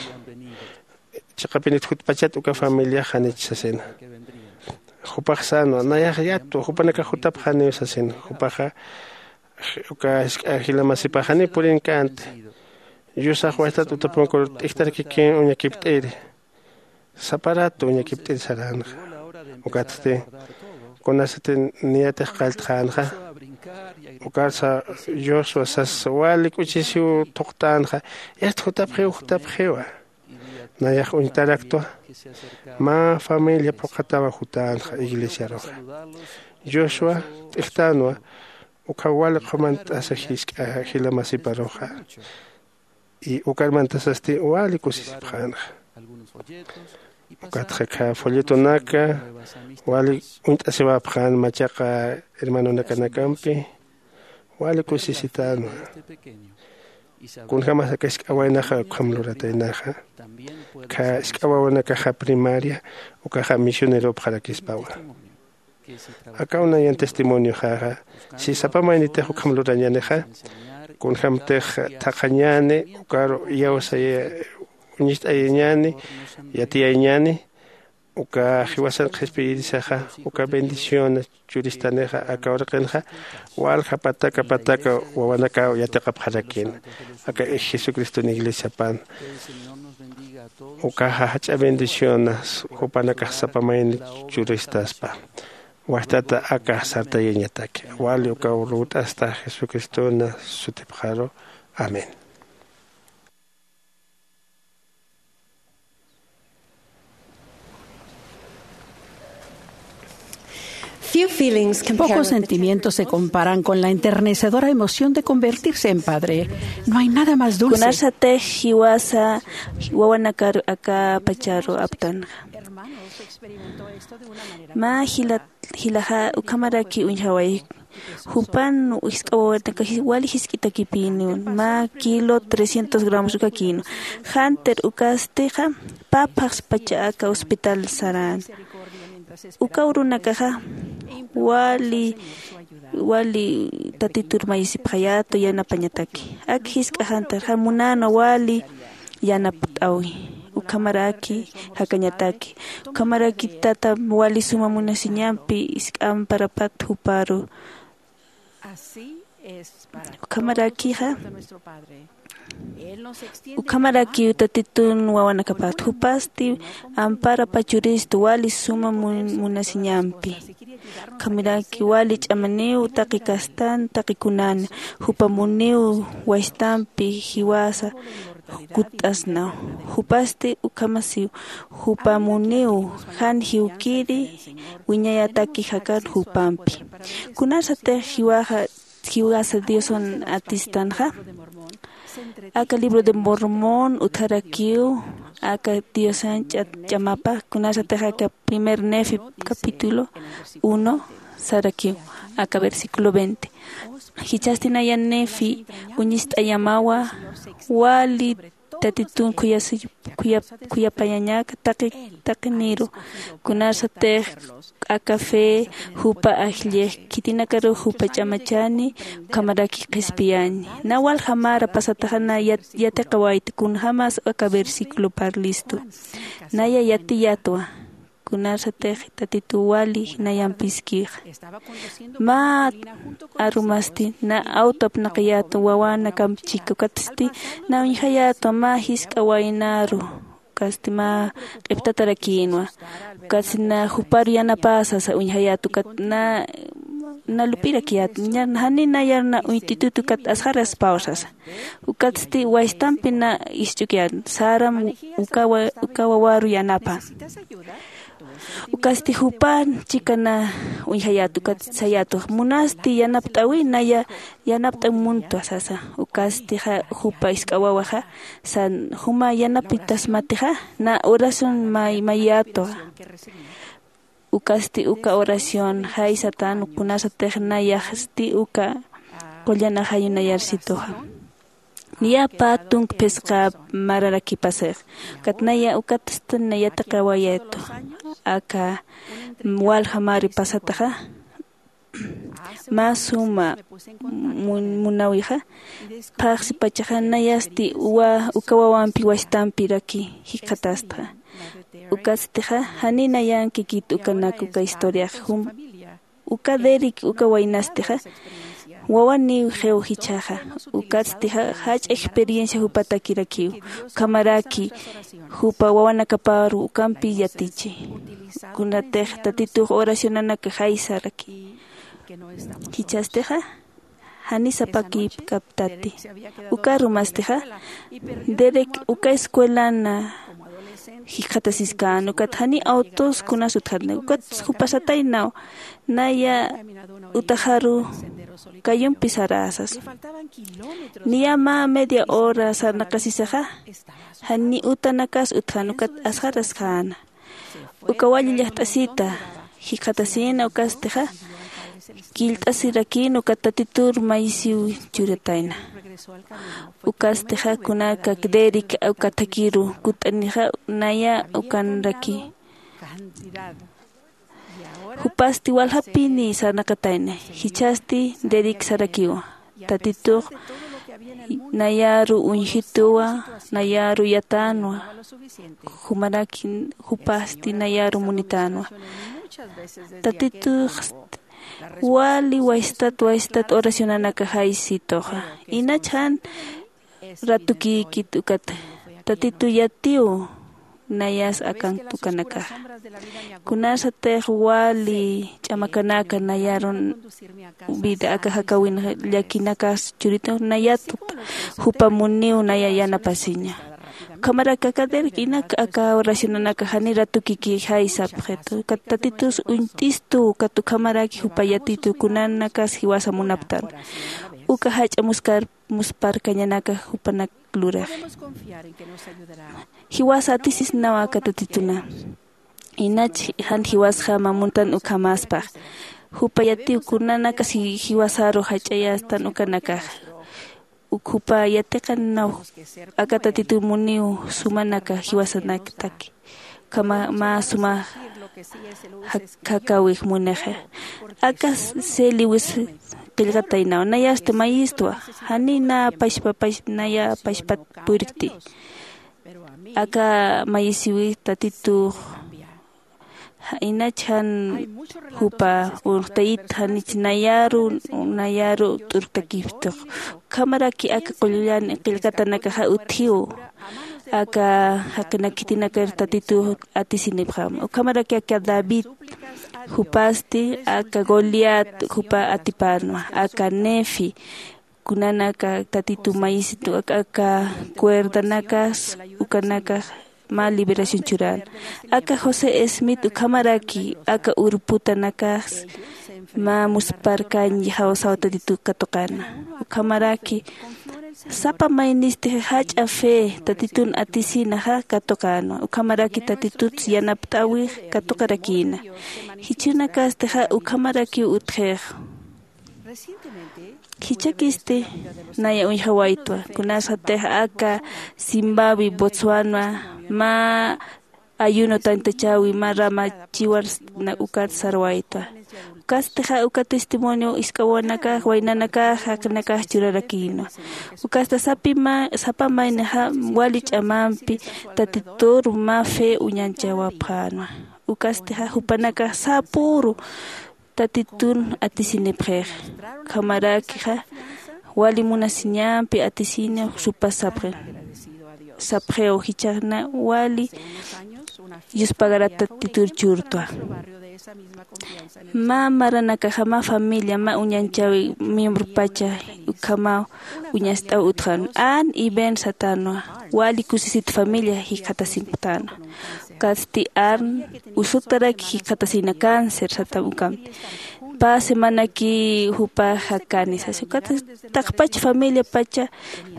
chiqapinit jutpachat uka familiax janich sasina. Jupax sänwa nayax yatwa jupanakax jutapxaniw sasina. Jupaxa uka jisk'a jila masipax janiw purinkänti. Yusax waytat utapunkur t'ijtarakikïn uñakipt'iri. Sapa ratu uñakipt'iri saränxa. Ukatsti kunasati niyatix qalltxänxa. Ukarsa joshua sas wali k'uchisiw thuqtänxa. Yast jutapxiw jutapxiwa. Nayax uñtaraktwa mä familia phuqhatawa jutänxa iglesiaruxa. Joshua t'ijtänwa. Ukhaw wali qhumant'asa jisk'a jila masiparuxa. Y ukar mantasasti wali kusisipxänxa. Ukatxa kha folletonaka wali uñt'asiwapxän machaqa hermanonakanakampi. Wali kusisitänwa. Kunjämas aka jisk'a waynaxa ukham lurataynaxa. Kha jisk'a wawanakaxa primaria ukaxa misioneropxarakispawa. Akaw nayan testimonioxaxa si sapa maynitix ukham lurañänixa. Kunjämtix thaqhañäni ukaru iyawsay uñist'ayañäni yatiyayñäni. Uka jiwasan qhispiyirisaxa uka bendición churistanixa aka uraqinxa. Walja pataka pataka wawanakaw yatiqapxarakïna aka jesucriston iglesiapan. Ukaxa jach'a bendicionas jupanakax sapa mayni churistaspa. Wajtata aka sartayañataki wali ukaw lurt'asta jesucristona sutipxaru. Amén. Pocos sentimientos se comparan con la enternecedora emoción de convertirse en padre. No hay nada más dulce. Kunasatix jiwasa wawanakar aka pacharu aptanxa. Mä jilaxa ukhamaraki uñjaway. Jupan jisk'a wawanaka wali jisk'itakipïniw mä kilo trescientos gramos ukakïnwa. Jantir ukastixa pä phaxspacha aka hospital sarän. Uka urunakaxa wali wali tatitur mayisipxayätu yanapañataki. Ak jisk'a jantirxa munänwa wali yanapt'awi. Ukhamaraki jakañataki. Ukhamaraki tata wali suma munasiñampi jisk'a amparapat juparu. Ukhamarakixa ukhamarakiw tatitun wawanakapat jupasti ampara pachuristu wali suma munasiñampi. Ukhamaraki wali ch'amaniw taqi kastan taqi kunan jupamuniw waystampi jiwasa kutt'asnaw. Jupasti ukhamasiw jupamuniw jan jiwkiri wiñayataki jakan jupampi. Kunasatix jiwaxa jiwasa diosan atistanxa aka libro de mormón utjarakiw aka diosan ch'amapa kunasatix aka primer nefi capítulo uno sarakiw aka versículo veinte. Jichhasti naya nefi uñist'ayamawa wali tatitun khuyasi khuyap khuyapayañaka taqi taqiniru. Kunarsatix aka fe jupa ajllix khitinakarux jupa ch'amachani ukhamaraki qhispiyaña. Na walja mara pasataxa na yatiqawayta kunjämas aka versículo parlistu. Naya yatiyatwa kunarsatix tatitu wali nayampiskixa. Mä arumasti na awto apnaqayätwa wawänakamp chika ukatsti na uñjayätwa mä jisk'a waynaru. Ukatsti mä q'iptatarakïnwa. Ukatsti na juparu yanapä sasa uñjayät ukat na na lupirakiyät jani nayar na uñtitut ukat asxaraspaw sasa. Ukatsti waystampi na isch'ukiyän saram uka wawaru yanapa. Ukasti jupan chika na uñjayät ukat sayätwa munasti yanapt'äwi naya yanapt'äw muntwa sasa. Ukastixa jupa isk'a wawaxa san juma yanapitasmatixa na oración mayätwa. Ukasti uka oración jaysatan kunasatix nayaxsti uka qullan ajayu nayarsituxa. Niya pä tunk phisqa mararakipasix ukat naya ukatsti na yatiqawayätwa. Aka walja mari pasataxa mä suma munawixa phaxsipachaxa nayasti uka wawampi wastampiraki jikxatastxa. Ukatstixa janiw nayankikit ukanak uka historiax jum uka derik uka waynastixa wawaniw jiw jichhaxa. Ukatstixa jach'a experiencia jupatakirakiw ukhamaraki jupa wawanakaparu ukampi yatichi. Kunatix tatitux oracionanaka jaysaraki jichhastixa janiw sapakipkaptati. Uka arumastixa derek uka escuelana jikxatasiskän ukat janiw awtos kunas utjatna ukat jupasataynaw naya utaxaru kayumpi saräsas. Niya mä media hora sarnaqasisaxa janiw utanakas utjan ukat asxaraskäna. Uka wali llajt'asita jikxatasïna ukastixa killt'asirakïna ukat tatitur mayisiw churatayna. Ukastixa kunaka derik uka thakiru kutt'anixa naya ukanraki. Jupasti waljapini sarnaqatayna. Jichhasti derik sarakiwa tatitux nayaru uñjituwa nayaru yatänwa. Jumaraki jupasti nayaru munitänwa. Tatitux wali waystat waystat oracionanaka jaysituxa. Inach jan ratukïkit ukat tatitu yatiw nayas akan ukanakaxa. Kunasatix wali ch'amakanaka nayaru vida aka jakawin llakinakas churitu nayat jupa muniw naya yanapasiña. Ukhamaraki aka derik inak aka oracionanaka janiw ratukiki jaysapxitu ukat tatitus uñt'istu ukat ukhamaraki jupa yatitu kunanakas jiwasa munaptan. Uka jach'a muskar musparkañanaka jupanak luraxi. Jiwasa atisisnawa aka tatituna. Inach jan jiwasjama muntan ukhamaspax jupa yatiw kunanakas jiwasaru jach'ayastan ukanakaxa. Uk jupa yatiqannaw aka tatitu muniw sumanaka jiwasanakataki. Ukhama mä suma jakawix munixa. Aka seli wis qillqataynaw nayasti mayistwa. Janiw naya pachpat purkti. Aka mayisiwi tatitux inach jan jupa urxtayit janich nayaru nayaru t'urktakiptix. Ukhamaraki aka qullan qillqatanakaxa utjiw aka jaqinakitinakarux tatitu atisinipxam. Ukhamaraki aka david jupasti aka goliat jupa atipänwa aka nefi kunanaka tatitu mayisitu aka cuerdanakas ukanakax mä liberación churän. Aka josé smith ukhamaraki aka urputanakas mä musparkañ jawsaw tatitu katuqäna. Ukhamaraki sapa maynistix jach'a fe tatitun atisinaxa katuqänwa ukhamaraki tatituts yanapt'äwix katuqarakïna. Jichhünakästixa ukhamarakiw utjix. Khichhakisti naya uñjawaytwa. Kunasatix aka Zimbabwe, Botswana, mä ayuno tantachäwi, mä rama chiwar ukat sarwaytwa. Ukatstixa uka testimonio isk'awanakax, waynanakax, jaqinakax churarakïnwa. Ukatsta sapima, sapa maynixa wali ch'amampi Tatitur mä fe uñanchawapxänwa. Ukatstixa jupanakax sapüru Tatitun atisinipxix. Ukhamarakixa wali munasiñampi atisini supas sapxi. Sapxiw jichhax na wali yuspagarat Tatitur churtwa. Mä maranakaxa mä familia, mä uñanchäwi miembropacha ukhamaw uñast'aw utjän. Ann y Ben satänwa, wali kusisit familia jikxatasiñapxtänwa. Ukatsti Ann usuktaraki jikxatasina cáncer satam ukamti. Pä semanaki jupax jakani sasi. Ukat taqpach familiapacha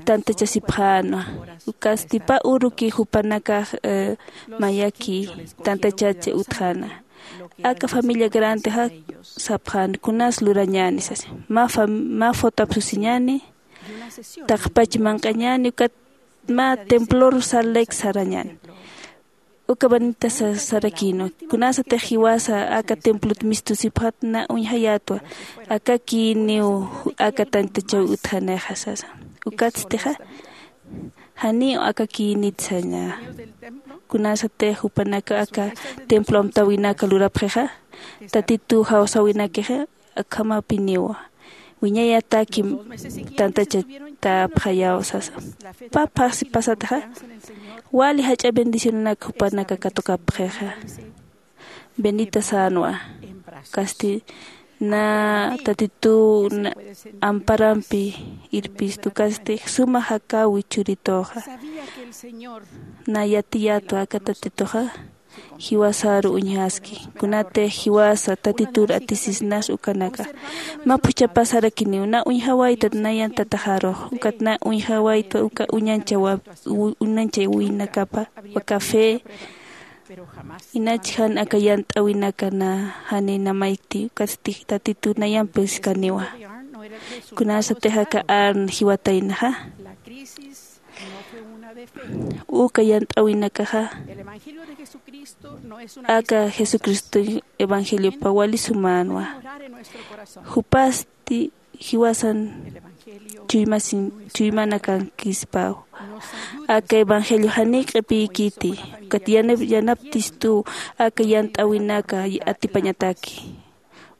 tantachasipxänwa. Ukatsti pä uruki jupanakax, eh, mayaki tantachati utjäna. Aka familia grandexa sapxän, kunas lurañäni sasi. Mä fam-, mä fotap susiñäni, taqpach manq'añäni, ukat mä templor Salt Lake sarañäni. Uka Benita sa-, sarakïnwa. Kunasatix jiwasa aka templot mistusipxät na uñjayätwa. Akakïniw aka tantachäw utjanixa sasa. Ukatstixa janiw akakïnit saña. Kunasatix jupanaka aka templo amtäwinaka lurapxixa, Tatituw jawsäwinakixa, akhamapiniwa. Wiñayataki tantachatäpxayaw sasa. Pä phaxsi pasatixa, wali jach'a bendicionanak jupanaka katukapxixa. Benita sänwa. Ukatsti na Tatituw na amparampi irpistu, ukatsti suma jakäwi churituxa. Na yatiyätwa aka Tatituxa jiwasaru uñjaski. Kunatix jiwasa Tatitur atisisnas ukanaka. Mä phuchhapasarakiniw, na uñjawaytat nayan tataxarux, ukat na uñjawaytwa uka uñanchawa-, u-, uñanchawinakapa, uka fe, inach jan aka yant'äwinaka na jani na maykti, ukatsti Tatitu nayampi uskaniwa. Kunasatix aka Ann jiwataynaxa. Uka yant'äwinakaxa, aka Jesucristo evangeliopa wali sumänwa. Jupasti jiwasan chuymasin, chuymanakankispaw. Aka evangelio janiw q'ipïkiti, ukat yanap-, yanaptistu aka yant'äwinaka atipañataki.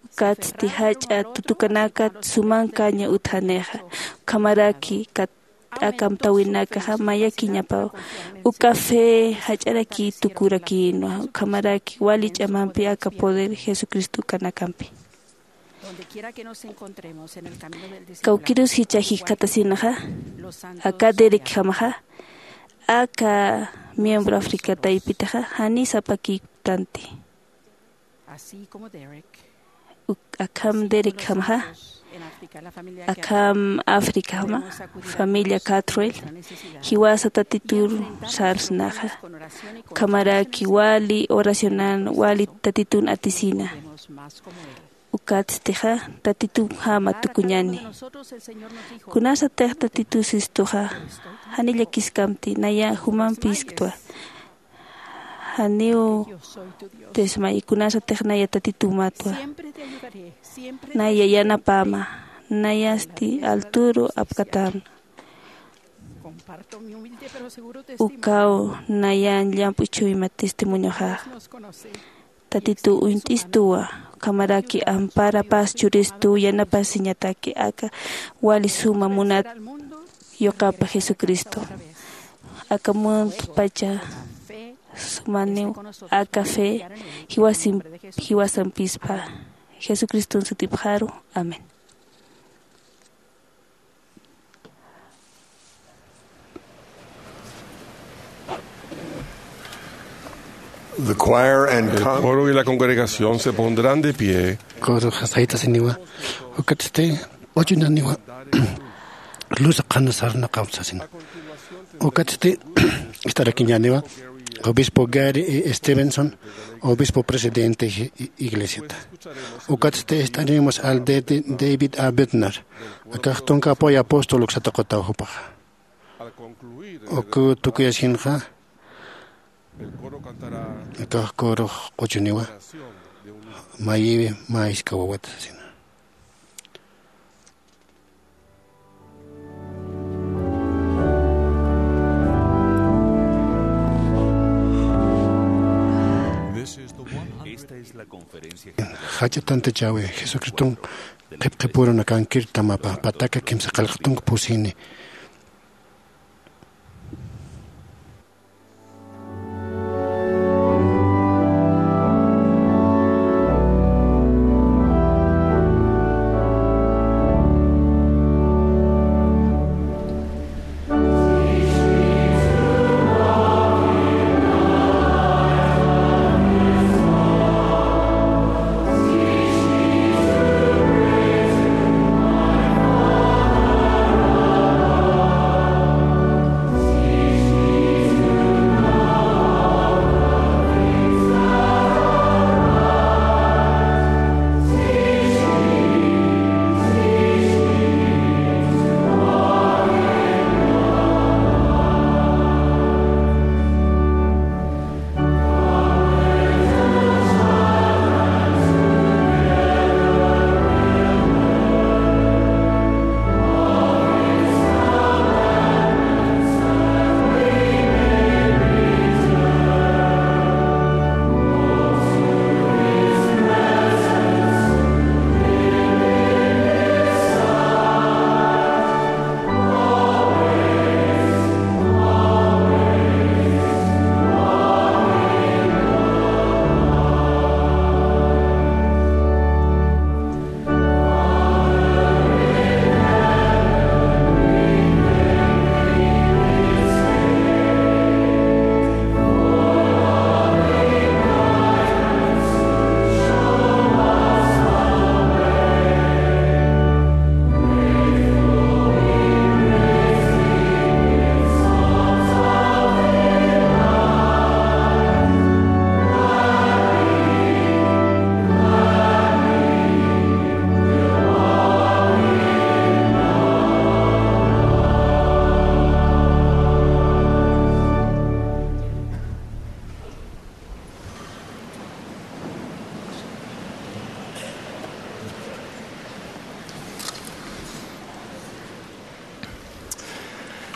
Ukatsti jach'a tutukanakat sumankaña utjanixa. Ukhamaraki kat-, aka amtäwinakaxa mayakiñapaw. Uka fe jach'araki tukurakïnwa. Ukhamaraki wali ch'amampi aka poder Jesucristo ukanakampi. Kawkïrus jichha jikxatasinaxa, aka Derekjamaxa, aka miembro Africa taypitaxa, jani sapakïtanti. Uk-, akham Derekjamaxa, akham Africajama, familia Catrell, jiwasa Tatitur sarsnaxa. Ukhamaraki wali oracionan, wali Tatitun atisina. Ukatstixa Tatitujama tukuñäni. Kunasatix Tatitu sistuxa, jani llakiskamti, naya jumampisktwa. Janiw tismay, kunasatix naya Tatitumatwa. Naya yanapäma, nayasti alturu apkatäma. Ukaw nayan llamp'u chuyma testimonioxax. Tatitu uñt'istuwa, ukhamaraki amparapas churistu, yanapasiñataki aka wali suma munat yuqapa Jesucristo. Aka muntupacha sumaniw aka fe jiwasim-, jiwasampispa. Jesucriston sutipxaru. Amén. The choir and El con- coro y la congregación se pondrán de pie. Coro saytasiniwa. Ukatsti, ochunaniwa. Luz qhana sarnaqam sasina. Ukatsti, ist'arakiñaniwa. Obispo Gary E. Stevenson, obispo presidente i-, iglesiata. Ukatsti ist'animus al de-, de-, David A. Bednar, akax tunka apoyo apóstol uksata qutaw jupaxa. Uku tukuyaskinxa, akax corux quchuniwa, mayiwi mä jisk'a wawata sasina. Jach'a tantachäwi, Jesucriston qhipqhipürunakankir tamapa pataka kimsa qillqtunka pusini.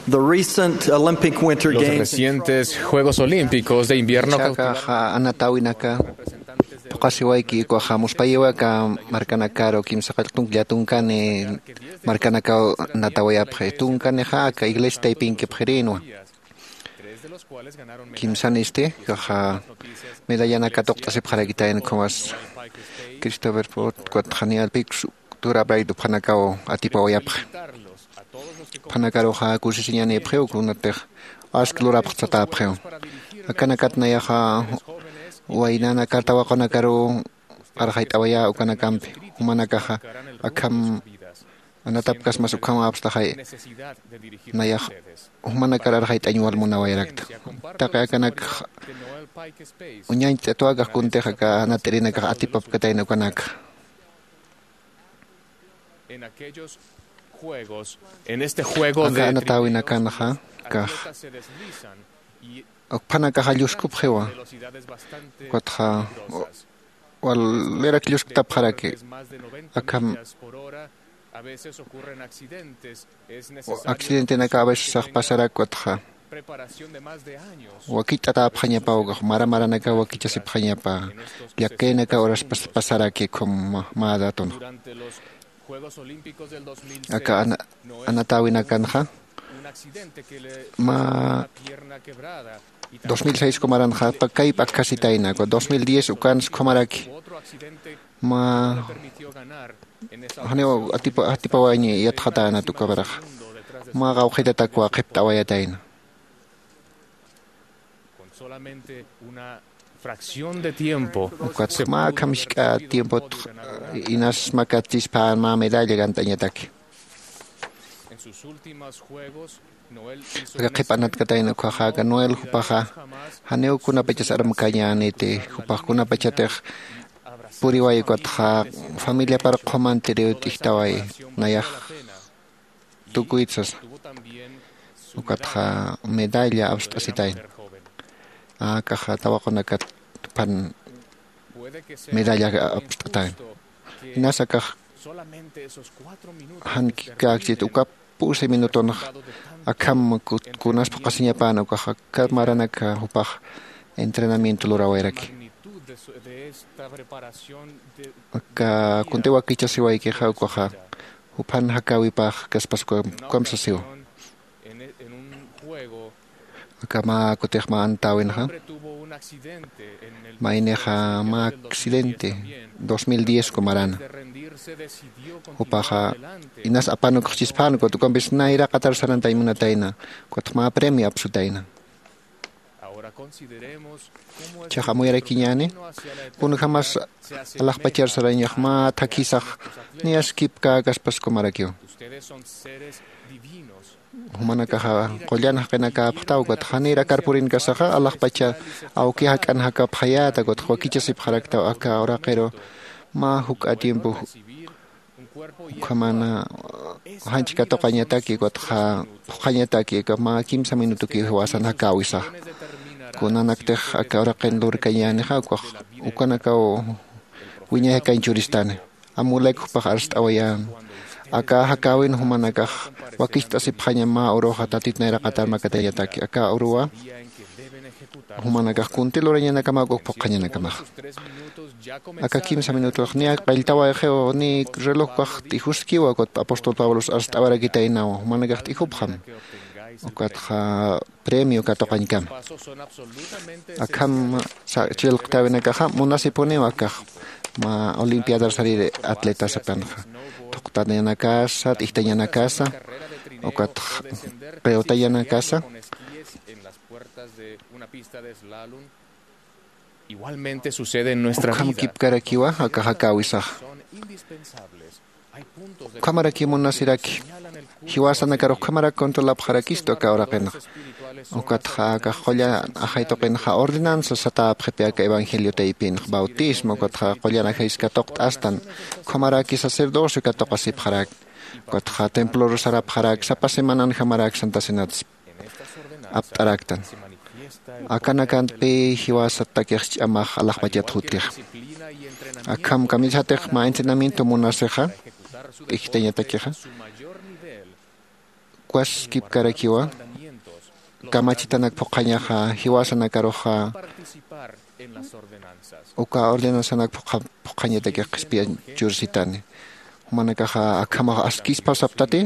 The recent Olympic Winter Los Games recientes Juegos Olímpicos de Invierno Chaka, ja, anatawinaka, phuqasiwayki, ukaxa muspayiwa aka markanakaru kimsa qillqtunka tunkani markanakaw natawayapxi, tunkanixa aka iglesia taypinkipxirinwa. Kimsanisti, ukaxa medallanaka tuqt'asipxarakitayna, ukhamas Christopher Ford, ukat Daniel Pix, Tura Bright, juphanakaw atipawayapxi. Juphanakaruxa kusisiñanipxiw, kunatix ask lurapxtsatäpxiw. Akanakat nayaxa waynanakar tawaqunakaruw arxayt'awayä ukanakampi. Jumanakaxa akham anatapkasmas ukhamäpstaxay. Nayax jumanakar arxayt'añ wal munawayarakta. Taqi akanak uñañcht'atuwakax kuntix aka anat'irinakax atipapkatayna ukanaka. En aquellos juegos, en este juego de aka anatawinakanxa, kax, ukphanakaxa lluskupxiwa. Ukatxa walirak llusktapxaraki. Akham accidentenaka a veces sax pasarak, ukatxa wakicht'atäpxañapa, ukax mara maranaka wakichasipxañapa, llakkaynaka horas pas-, pasaraki, ukham mä, mä daton. Aka ana-, anatawinakanxa, mä dos mil seis kumaranxa, pa-, kayp akkasitayna, uka dos mil diez ukans kumaraki, mä, janiw atipa-, atipawañi yatxatänat uka maraxa. Mä qawqhitatakwa qhipt'awayatayna. Ukat mä akham jisk'a tiempot inas makatsispa mä medalla gant'añataki. Aka qhip'anatkatayna ukkhaxa aka Noel jupaxa janiw kunapachas armkañäniti, jupax kunapachatix puriway ukatxa familiapar qhumantiriw t'ijtaway, nayax tukuyt sasa. Ukatxa medalla apst'asitayna. Akaxa tawaqunakat pan medalla apst'atayna. Inas akax jan kikakchit uka pusi minutunx akham kunas phuqasiñapan ukax aka maranak jupax entrenamiento lurawayraki. Aka kuntiwa kichasiwaykixa ukaxa juphan jakäwipax kaspas ukamsasiwa. Aka mä kutix mä antäwinxa maynixa mä accidente dos mil diez kumarana. Jupaxa inas apanukxchispän ukat ukampis nayraqatar sarantañ munatayna, ukatxa mä premio apsutayna. Chhax amuyarakiñäni kunjamas alaxpachar sarañax mä thakhisax niyas kipkäkaspas kumarakiw. Jumanakaxa qullan jaqinakäpxtaw ukatxa janïr akar purinkasaxa alaxpacha awki jak'an jakapxayäta ukatxa wakichasipxaraktaw aka uraqiru mä juk'a tiempo ukhaman janch katuqañataki ukatxa phuqhañataki aka mä kimsa minutukiw jiwasan jakäwisaxa. Kunanaktix aka uraqin lurkañänixa ukax ukanakaw wiñay jakañ churistani. Amulek jupax arst'awayän aka jakäwin jumanakax wakicht'asipxaña mä uruxa tatit nayraqatar makatañataki aka uruwa jumanakax kunti lurañanakamäkuk phuqhañanakamax. Aka kimsa minutux niya qalltawayxiw ni relojkax t'ijuskiwa ukatpa apóstol pablos arst'awarakitaynawa jumanakax t'ijupxam ukatxa premio katuqañkama. Akham chillqtäwinakaxa munasipuniw akax mä olimpiadar sarir atletas akanxa thuqtañanakasa t'ijtañanakasa ukatx qillqtañanakasa. Igualmente sucede en nuestra vida. Ukham kipkarakiwa aka jakäwisaxa. Ukhamarakiw munasiraki jiwasanakar ukhamarak controlapxarakistu aka uraqinxa. Ukatxa akax qullan ajay tuqinxa ordenanza satäpxipi aka evangelio taypinxa bautismo ukatxa qullan ajaysi katuqt'astan ukhamaraki sacerdocio katuqasipxarak. Ukatxa templor sarapxarak sapa semananjamarak santa cenats apt'araktan. Akanakantpi jiwasatakix ch'amax alaxpachat jutkixa. Akham kamisatix mä entrenamiento munasixa t'ijtañatakixa ukas kipkarakiwa kamachitanak phuqhañaxa jiwasanakaruxa uka ordenanzanak phuqhañatakix qhispiyañ chursitani. Jumanakaxa akhamax askispa saptati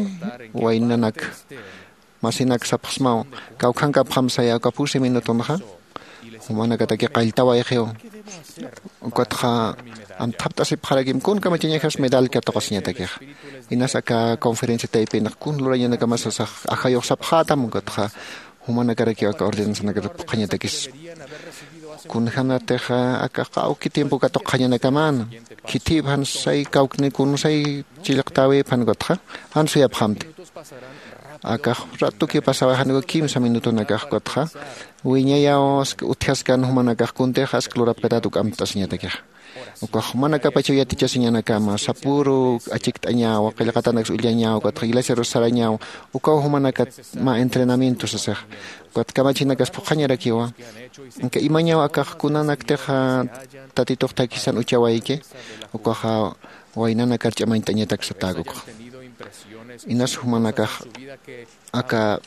waynanak masinak sapxsmaw kawkhankapxam saya uka pusi minutunxa jumanakataki qalltawayxiw. Ukatxa amthapt'asipxarakim kun kamachañajas medal katuqasiñatakixa. Inas aka conferencia taypinx kun lurañanakamasasax ajayux sapxätam ukatxa jumanakarakiw aka ordenanzanakat phuqhañatakis. Kunjänatixa aka qawki tiempo katuqxañanakamäna khithïpxan say kawkni kun say chillqtäwïpxan ukatxa jan suyapxamti. Akax ratuki pasawaxan uka kimsa minutunakax ukatxa wiñayaw utjaskan jumanakax kuntix ask lurapkatat uk amt'asiñatakixa. Ukax jumanakapachaw yatichasiñanakama sapüru achikt'añawa qillqatanaks ullañaw ukatxa iglesiarus sarañaw ukaw jumanakat mä entrenamiento sasix. Ukat kamachinakas phuqhañarakiwa. Anka imañaw akax kunanaktixa tatitux thakhisan uchawayki ukaxa waynanakar ch'amañt'añatak satäkukxa. Inas jumanakax aka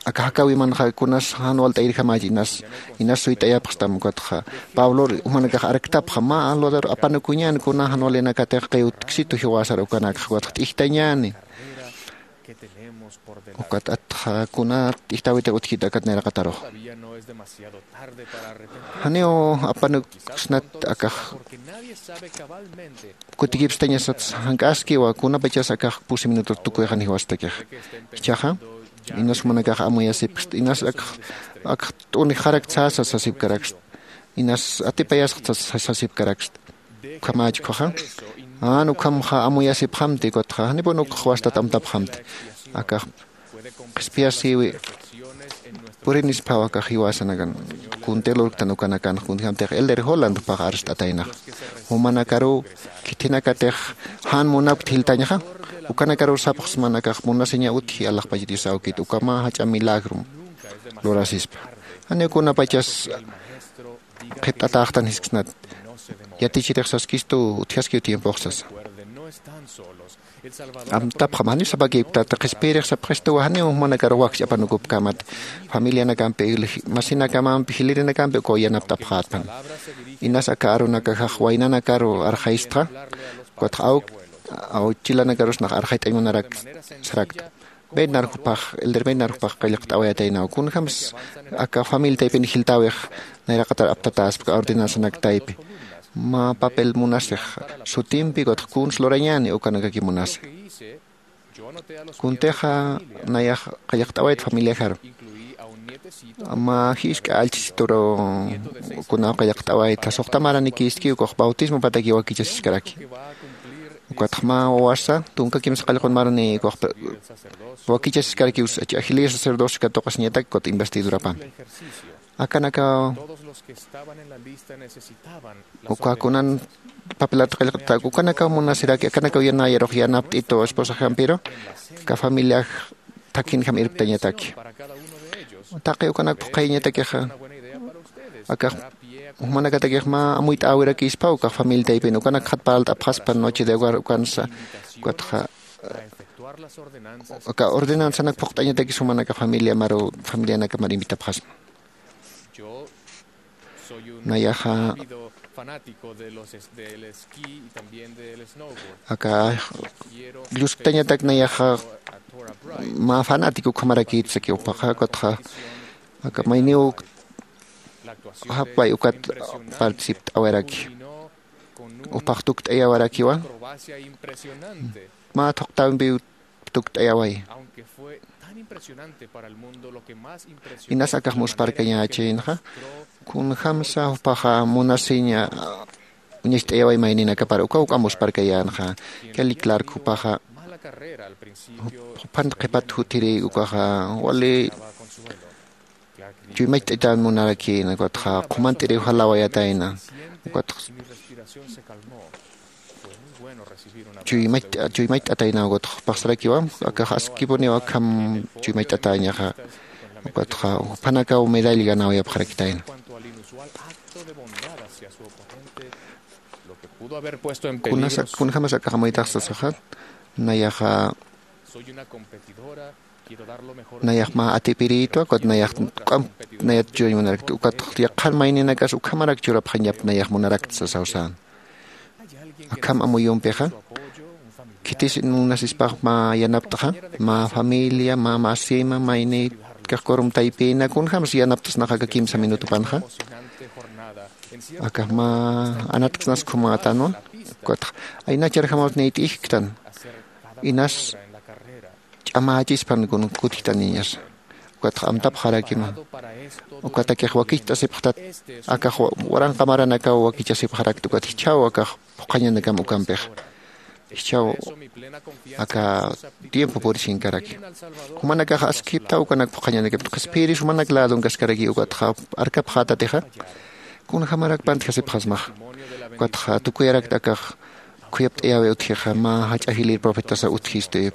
aka jakäwimanxa kunas jan walt'ayirjamach inas inas suyt'ayapxstam ukatxa pablor jumanakax arktapxa mä lugar apanukuñän kuna jan walinakatix qiwtksitu jiwasar ukanakxa ukatxa t'ijtañäni. Ukat atxa kuna t'ijtäwitix utjkit akat nayraqatarux janiw apanuksnat akax kutikipstañasats jank'askiwa kunapachas akax pusi minutur tukuyxan jiwastakixa. Jichhaxa inas jumanakax amuyasipkst inas akax akax t'unixarakt sasa sasipkarakst inas atipayasxt sasipkarakst. Ukhamächkhuxa Jan ukhamxa amuyasipxamti, ukatxa janipun ukx wastat amtapxamti. Akax qhispiyasiwi purinisphaw akax jiwasanakan. Kunti lurktan ukanakanx, kunjamtix elder Holland jupax arst'ataynax. Jumanakaruw khithinakatix jan munapkt jiltañxa, ukanakaruw sapxsman akax munasiña utji alaxpach Dios awkit, ukama jach'a milagro lurasispa. Janiw kunapachas qhipt'atäxtan jisksnat. Yatichirix saskistu, utjaskiw tiempox sasa. Amtapxam, janiw sapakipktati, qhispiyirix sapxistuwa, janiw jumanakar wakch'apanukupkamat. Familianakampi, masinakamampi, jilirinakampi ukaw yanapt'apxätpan. Inas aka arunakaxax waynanakaru arxayistxa, ukatxa awk, awchilanakarus nax arxayt'añ munarak sarakta. Bednar jupax, elder Bednar jupax qillqt'awayataynaw. Kunjams aka familia taypin jiltäwix nayraqatar aptatäspa ordenanzanak taypi. Mä papel munasix sutimpi, ukatxa kuns lurañäni ukanakaki munasi. Kuntixa nayax qillqt'awayt familiaxaru. Mä jisk'a allchhisituru kunaw qillqt'awayta, suxta maranikïski, ukax bautismopataki wakichasiskaraki. Ukatxa mä wawasa tunka kimsa qallqun marani ukax wakichasiskaraki, usa agilïr sacerdocio katuqasiñatak, ukat investidurapampi. Akanakaw uka kunan papelat qillqt'atak, ukanakaw munasiraki, akanakaw yanayarux yanapt'itu esposaxampiru, aka familiax thakinjam irptañataki. Taqi ukanak phuqhayañatakixa, akax jumanakatakix mä amuyt'äwirakïspaw, ukax familia taypin ukanakxat parlt'apxaspa noche de hogar ukansa, ukatxa aka ordenanzanak phuqt'añatakis jumanaka familia maru, familianaka mar invitapxasma. Nayaxa aka llusktañatak nayaxa mä fanático ukhamarakït saki jupaxa, ukatxa aka mayniw japay ukat participt'awaraki. Jupax tukt'ayawarakiwa. Mä thuqtampiw tukt'ayaway. Inas akax musparkañächïnxa, kunjamsa jupaxa munasiña uñacht'ayaway mayninakapar, uka uka musparkayänxa. Kelly Clark jupaxa, juphan qhipat jutiri ukaxa wali chuymacht'ayatäñ munarakïna, ukatxa qhumant'iriw jalawayatayna, ukatxa chuymacht'a-, chuymacht'atayna, ukatxa jupax sarakiwa, akax askipuniw akham chuymacht'atäñaxa, ukatxa juphanakaw medalla ganawayapxarakitayna. Kunasa, kunjamas akax amuytax sasaxa, nayaxa nayax mä atipirïtwa, ukat nayax k'am nayat chuymañ munarakta, ukat yaqhan mayninakas ukhamarak churapxañap nayax munarakta sasaw sän. Akham amuyumpixa, khitis munasispax mä yanapt'xa, mä familia, mä masima, maynïtkax kurum taypina, kunjams yanapt'snax aka kimsa minutupanxa. Akax mä anatksnas khumätanwa, ukatxa aynacharjamaw niyt'ijktan, inas ch'amächispan kun kutjtaniñasa. Ukatxa amtapxarakima. Ukatakix wakicht'asipxtat, akax wa-, waranqa maranakaw wakichasipxarakta, ukat jichhaw akax phuqhañanakam ukampix. Jichhaw aka tiempo purisinkaraki. Jumanakax askiptaw ukanak phuqhañanakam. Qhispiyiris jumanak ladun kaskaraki, ukatxa arkapxätatixa, kunjamarak pantjasipxasmaxa. Ukatxa tukuyarakta akax khuyapt'ayäwi utjixa, mä jach'a jilïr profetasa utjisti,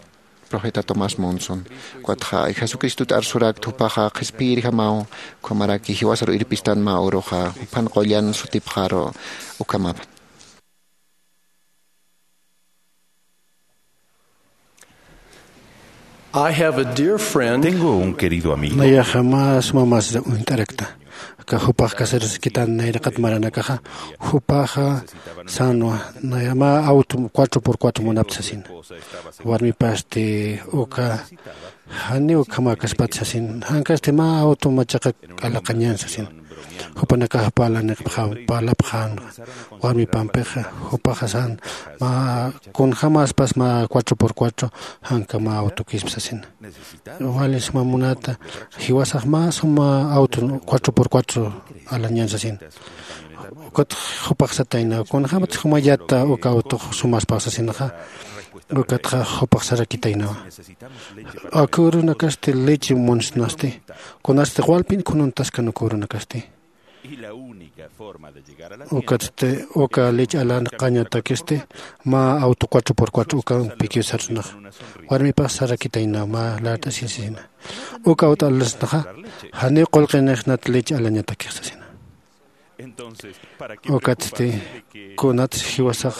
profeta Tomás Monson. Ukatxa Jesucristut arsurakta, jupaxa qhispiyirjamaw, ukhamaraki jiwasaru irpistan mä uruxa, juphan qullan sutipxaru ukhamapan. I have a dear friend. Tengo un querido amigo. Nayaxa mä suma mas uñt'arakta. Aka jupax casarasikitan nayraqat maranakaxa, jupaxa sänwa, naya mä auto cuatro por cuatro munapta sasin. Warmipasti uka, janiw ukhamäkaspat sasin. Jankasti mä auto machaqa q'alaqañan sasin. Jupanakax parlanipxam, parlapxän warmipampixa, jupaxa sän, mä kunjämaspas mä cuatro por cuatro, janka mä autokispa sasin. Wali suma munata, jiwasax mä suma auto cuatro por cuatro alañan sasin. Ukat jupax sataynaw kunjämat jumayata uka awtux sumaspaw sasinxa. Ukatxa jupax sarakitaynawa. Aka urunakasti leche munsnasti, kunasti walpin khununtaskan uka urunakasti. Ukatsti uka lech alanqañatakisti mä auto cuatro por cuatro ukampikiw sarsnaxa. Warmipax sarakitaynaw mä lart'asisina. Uka awt'alasnaxa, janiw qullqinixnat lech alañatakix sasina. Ukatsti kunats jiwasax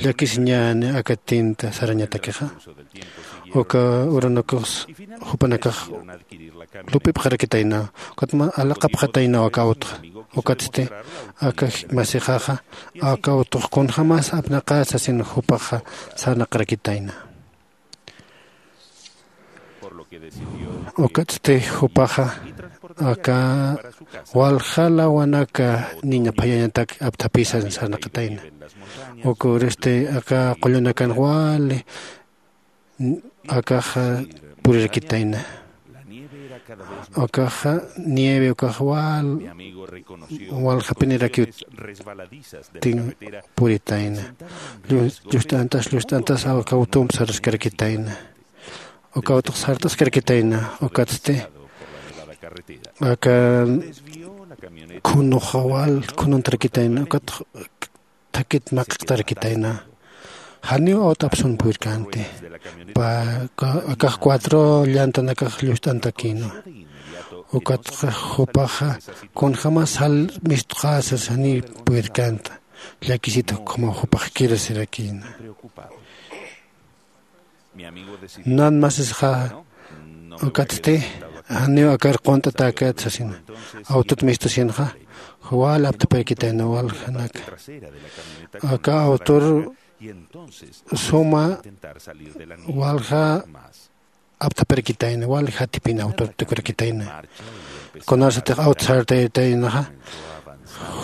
llakisiñäni aka tinta sarañatakixa. Uka urunakux jupanakax lup'ipxarakitaynaw, ukatma alaqapxataynaw aka awtxa. Ukatsti aka masixaxa aka awtux kunjämas apnaqä sasin jupaxa sarnaqarakitayna. Ukatsti jupaxa aka walja lawanaka niña phayañatak apthapisan sarnaqatayna. Uka urasti aka qullunakan wali akaxa purirakitayna. Akaxa nieve ukax wal waljapinirakiw tin puritayna. Llu- llust'antas llust'antas aka awtump sarskarakitayna. Uka awtux sart'askarakitayna. Ukatsti aka khunuxa wal khununtarakitayna. Ukat thakit maqiqtarakitayna. Janiw awt'apsun purirkänti. Pä akax cuatro llantanakax llucht'antakïnwa. Ukatxa jupaxa kunjämas jall mistuqäsas janiw purirkänta. Llakisita ukhamaw jupax kirasirakïna. Nan masisxa ukatsti janiw akar qunt'atäkät sasina. Awtut mistusinxa wal apthaparakitayna waljanaka. Aka awtur suma walja apthaparakitayna wal jatipin awtur tukurakitayna. Kunasatix awt sartaytaynaxa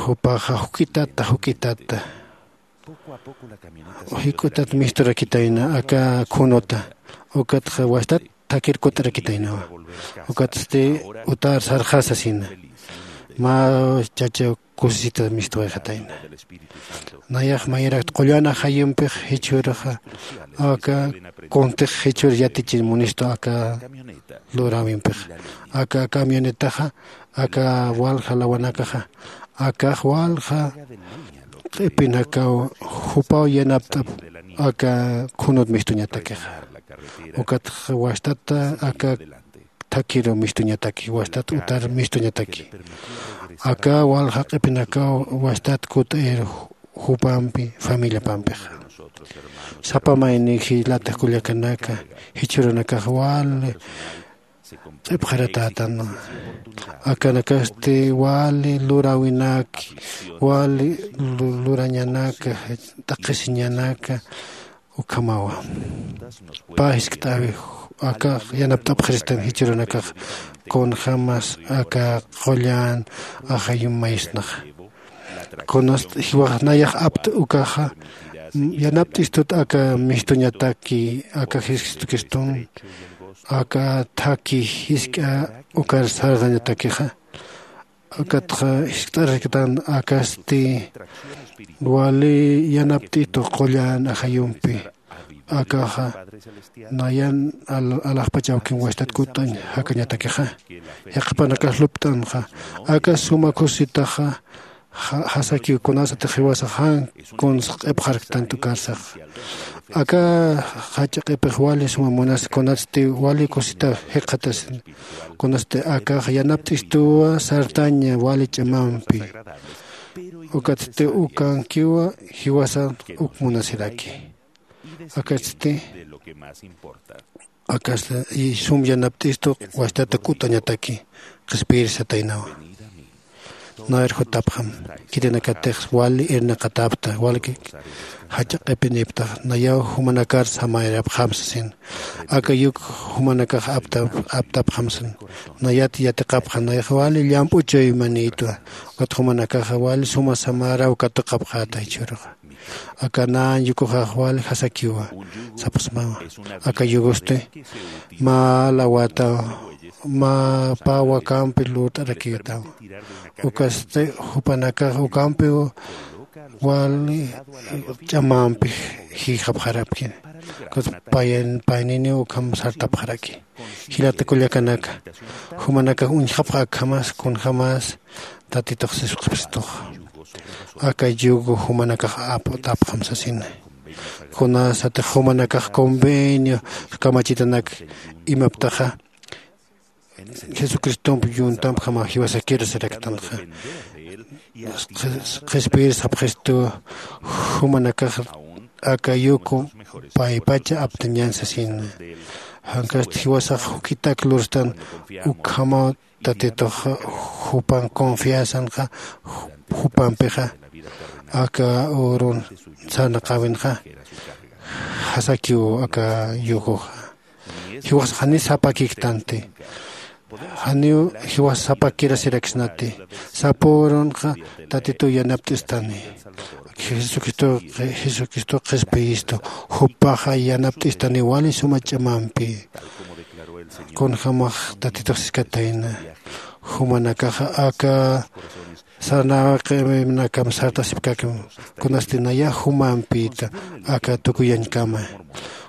jupaxa juk'itata juk'itata jik'utat misturakitayna aka khunuta. Ukatxa wastat thakir kut'arakitaynawa. Ukatsti utar sarxasasina. Mä chacha kusisita mistuwayxatayna. Nayax mayrakt qullan ajayumpix jichhürxa aka kuntix jichhür yatichin munistu aka luräwimpix. Aka camionetaxa aka walja lawanakaxa akax walja q'ipinakaw jupaw yanapt'ap aka khunut mistuñatakixa. Ukatxa wastata aka thakhiru mistuñataki wastat utar mistuñataki. Aka walja q'ipinakaw wastat kut'ir jupampi familiapampixa. Sapa mayni jilatix kullakanaka jichhürunakax wali q'ipxaratätanwa. Akanakasti wali luräwinaki wali lu- lurañanaka t'aqhisiñanaka ukhamawa. Pä jiskt'äwi akax yanapt'apxiristan jichhürunakax kunjämas aka qullan ajayum maysnaxa. Kunast jiwax nayax apt ukaxa yanapt'istut aka mistuñataki aka jesucristun aka thakhi jisk'a ukar sarxañatakixa. Akatxa jiskt'ararktan akasti wali yanapt'itu qullan ajayumpi. Akaxa nayan al- alaxpach awkin wastat kut'añ jakañatakixa. Yaqhipanakax lupt'anxa aka suma kusisitaxa ja- jasakiw kunasatix jiwasax jan kuns q'ipxarktantu karsax. Aka jach'a q'ipix wali suma munasi kunatsti wali kusisita jikxatasin. Kunatsti akax yanapt'istuwa sartaña wali ch'amampi. Ukatsti ukankiwa jiwasan uk munasiraki. Akatsti akasta y sum yanapt'istu wastata kut'añataki qhispiyirisataynawa. Nayar jutapxam khitinakatix wali irnaqatäpta wali jach'a q'ipinïptax nayaw jumanakar samayrapxam sasin. Aka yuk jumanakax aptap- aptapxam sasin. Nayat yatiqapxa nayax wali llamp'u chuymanïtwa. Ukat jumanakaxa wali suma samäraw katuqapxäta jichhüruxa. Aka nan yukuxax wali jasakiwa sapxsmawa. Aka yukusti mä lawata mä pä wakampi lurt'arakiyutaw. Ukasti jupanakax ukampiw wali ch'amampi jïxapxarapki. Ukat payan payniniw ukham sartapxaraki. Jilata kullakanaka, jumanakax uñjapxa akhamas kunjämas tatitux sisqapxistux. Aka yugo jumanakax aptapxam sasina. Kunasatix jumanakax convenio kamachitanak imaptaxa jesucristomp yuntampjama jiwasakir siraktanxa. Qhispiyir sapxistu jumanakax aka yuku paypacha aptañan sasina. Jankast jiwasax juk'itak lurstan ukhamaw tatitux jupan confianzanxa jupampixa aka urun sarnaqäwinxa jasakiw aka yukuxa. Jiwasax jani sapakiktanti. Janiw jiwas sapakirasiraksnati. Sapürunxa tatituw yanapt'istani. Jesucristo jesucristo qhispiyistu jupaxa yanapt'istani wali suma ch'amampi. Kunjämax tatitux siskatayna jumanakaxa aka sarnaqinakam sartasipkakim. Kunasti nayax jumampïta aka tukuyañkama.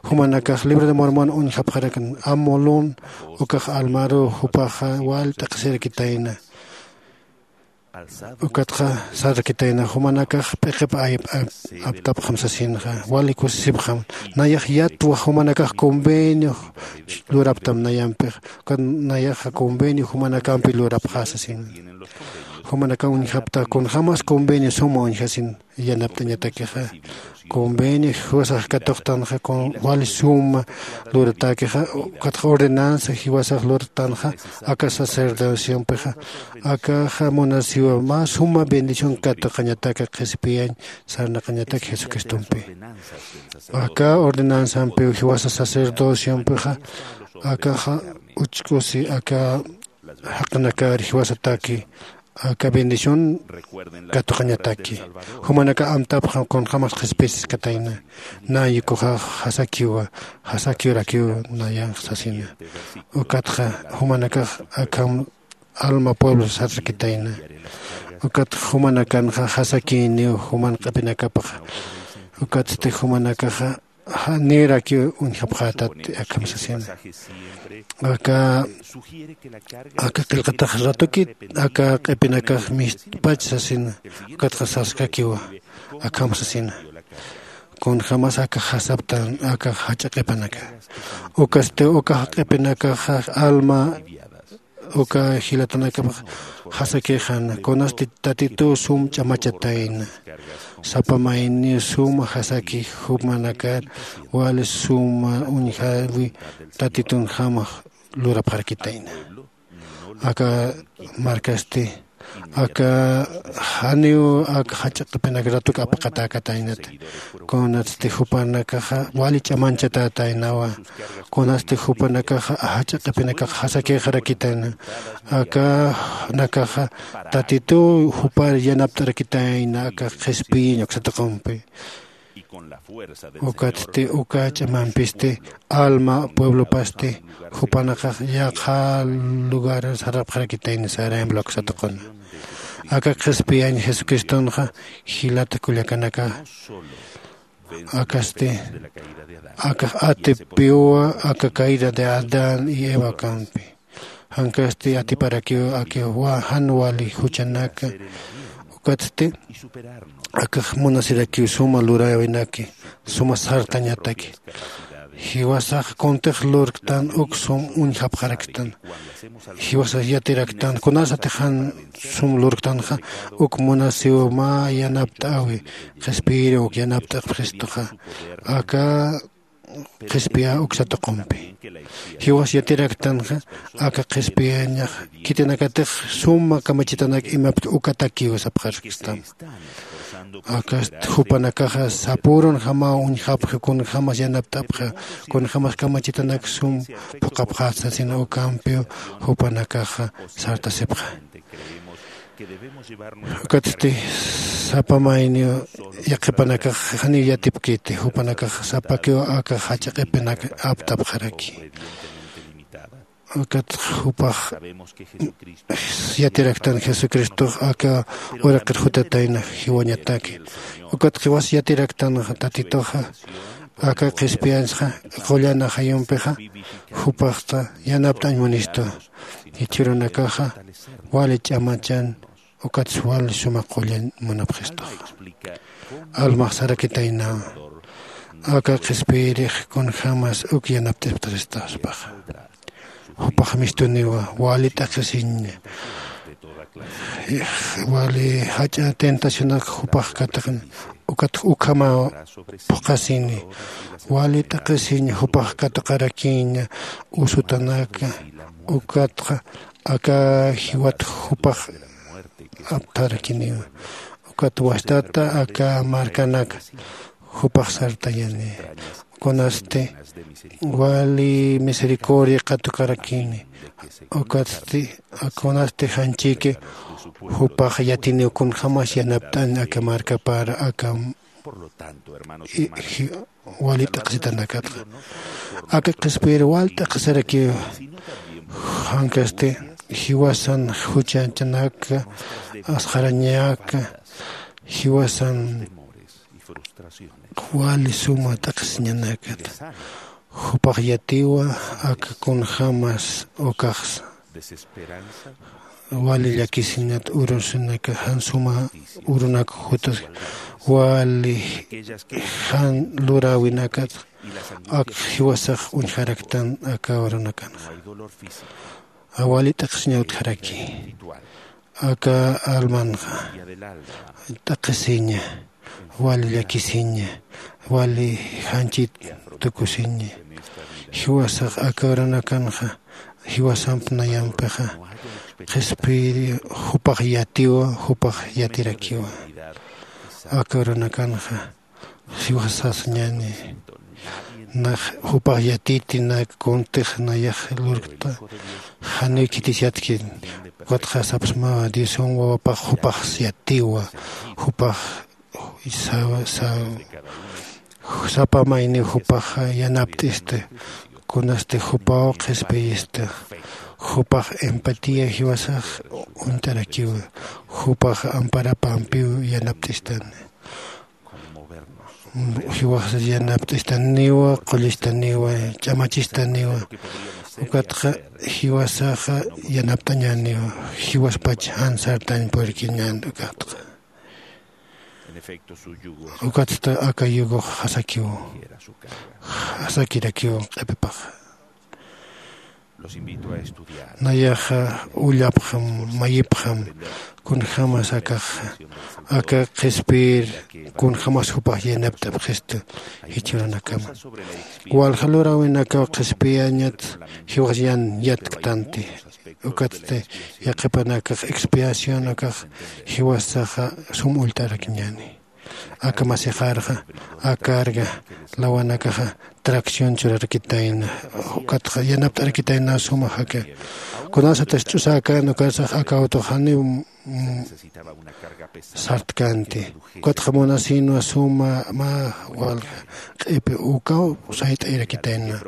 Jumanakax libro de mormon uñjapxarakan amulun ukax almaruw jupaxa wal t'aqhisirakitayna. Ukatxa sarkitayna jumanakax p'iqip aptapxam sasinxa wali kusisipxam. Nayax yatwa jumanakax convenio luraptam nayampix. Ukat nayaxa convenio jumanakampi lurapxä sasin. Jumanakaw uñjapta kunjämas convenio suma uñjasin yanapt'añatakixa. Convenio jiwasax katuqtanxa wali suma luratäkixa. Ukatxa ordenanza jiwasax lurtanxa aka sacerdociompixa akaxa munasiwa mä suma bendición katuqañataka qhispiyañ sarnaqañatak jesucristompi. Aka ordenanzampiw jiwasa sacerdociompixa akaxa uchk'usi aka jaqinakar jiwasataki aka bendición katuqañataki. Jumanaka amtapxa kunjämas qhispisiskatayna. Naykuxax jasakiwa jasakiwrakiw nayanx sasina. Ukatxa jumanakax akham alma pueblo sarkitayna. Ukat jumanakanxa jasakïniw juman q'ipinakapxa. Ukatsti jumanakaxa janïrakiw uñjapxätati akham sasina. Aka aka qillqatax ratuki aka q'ipinakax mistpach sasina. Ukatxa saskakiwa akham sasina. Kunjämas aka jasaptan aka jach'a q'ipanaka. Ukasti uka q'ipinakaxa alma uka jilatanakapax jasakixan kunasti tatituw sum ch'amachatayna. Sapa mayniw suma jasaki jumanakar wali suma uñjäwi tatitunjamax lurapxarakitayna. Aka markasti aka janiw aka jach'a q'ipinak ratuk apaqatäkataynata. Kunatsti jupanakaxa wali ch'amanchatätaynawa. Kunasti jupanakaxa jach'a q'ipinakax jasakixarakitayna. Akanakaxa tatituw jupar yanapt'arakitayna aka qhispiyiñ uksa tuqumpi. Ukatsti uka ch'amampisti alma pueblopasti jupanakax yaqha lugar sarapxarakitayna saraym luksatuquna. Aka qhispiyañ jesucristonxa jilata kullakanaka akasti akax atipiwa aka caída de adán y eva kampi. Jankasti atiparakiw akiwa jan wali juchanaka. Ukatsti akax munasirakiw suma luräwinaki suma sartañataki. Jiwasax kuntix lurktan uk sum uñjapxaraktan. Jiwasax yatiraktan kunasatix jan sum lurktanxa uk munasiw mä yanapt'äwi qhispiyiriw uk yanapt'apxistuxa aka qhispiya uksa tuqumpi. Jiwas yatiraktanxa aka qhispiyañax khitinakatix suma kamachitanak imapta ukatakiw sapxarkstama. Akast jupanakaxa sapürunjamaw uñjapxi kunjämas yanapt'apxi kunjämas kamachitanak sum phuqhapxät sasina ukampiw jupanakaxa sartasipxi. Ukatsti sapa mayniw yaqhipanakax janiw yatipkiti, jupanakax sapakiw aka jach'a q'ipinak aptapxaraki. Ukat jupax yatiraktan Jesucristox aka uraqir jutatayna jiwañataki. Ukat jiwas yatiraktan Tatituxa aka qhispiyañsxa qullan ajayumpixa jupaxta yanapt'añ munistu. Jichhürunakaxa wali ch'amachan ukatsa wali suma qullan munapxistuxa. Almax sarakitaynawa aka qhispiyirix kunjämas uk yanapt'isipxastaspaxa. Jupax mistuniwa wali t'aqhisiña, wali jach'a tentacionak jupax katuqañ. Ukat ukhamaw phuqhasini wali t'aqhisiña jupax katuqarakiña usutanaka. Ukatxa aka jiwat jupax aptharakiniwa. Ukat wastata aka markanak jupax sartañani. Kunasti wali misericordia katukarakini. Ukatsti kunasti janchiki jupax yatiniw kunjämas yanapt'añ aka markapar aka wali t'aqhisitanakatxa. Aka qhispiyir wali t'aqhisarakiw. Jankasti jiwasan juchañanaka asxarañaka jiwasan wali suma t'aqhisiñanakata. Jupax yatiwa aka kunjämas ukaxsa wali llakisinat urusinaka jan suma urunak jutas wali jan luräwinakat ak jiwasax uñjaraktan aka urunakanxa. Wali t'aqhisiña utjaraki aka almanxa t'aqhisiña wali llakisiña wali janchit tukusiña. Jiwasax aka urunakanxa jiwasamp nayampixa qhispiyiri jupax yatiwa jupax yatirakiwa. Aka urunakanxa jiwasasañani nax jupax yatiti nak kuntix nayax lurkta janiw khitis yatki. Ukatxa sapsmawa diosan wawapax jupax yatiwa jupax sapa mayniw jupax yanapt'ista. Kunasti jupaw qhispiyista jupax empatía jiwasax uñt'arakiwa. Jupax amparapampiw yanapt'istani. Jiwaxsas yanapt'istaniwa qullistaniwa ch'amachistaniwa. Ukatxa jiwasaxa yanapt'añäniwa jiwaspach jan sartañ purikiñän ukatxa. Ukatsta aka yugox jasakiw jasakirakiw q'ipipaxa. Nayaxa ullapxam mayipxam kunjämas akaxa aka qhispiyir kunjämas jupax yanapt'apxistu. Jichhürunakama walja luräwinakaw qhispiyañat jiwax yan yatktanti. Ukatsti yaqhipanakax expiación akax jiwasaxa sum ullt'arakiñäni. Aka masixarxa akarga lawanakaxa tracción churarakitayna ukatxa yanapt'arakitayna suma jaka. Kunasatas ch'usäkän ukatsax aka autoxaniw sartkanti. Ukatxa munasinwa suma mä walja q'ipi ukaw sayt'ayarakitayna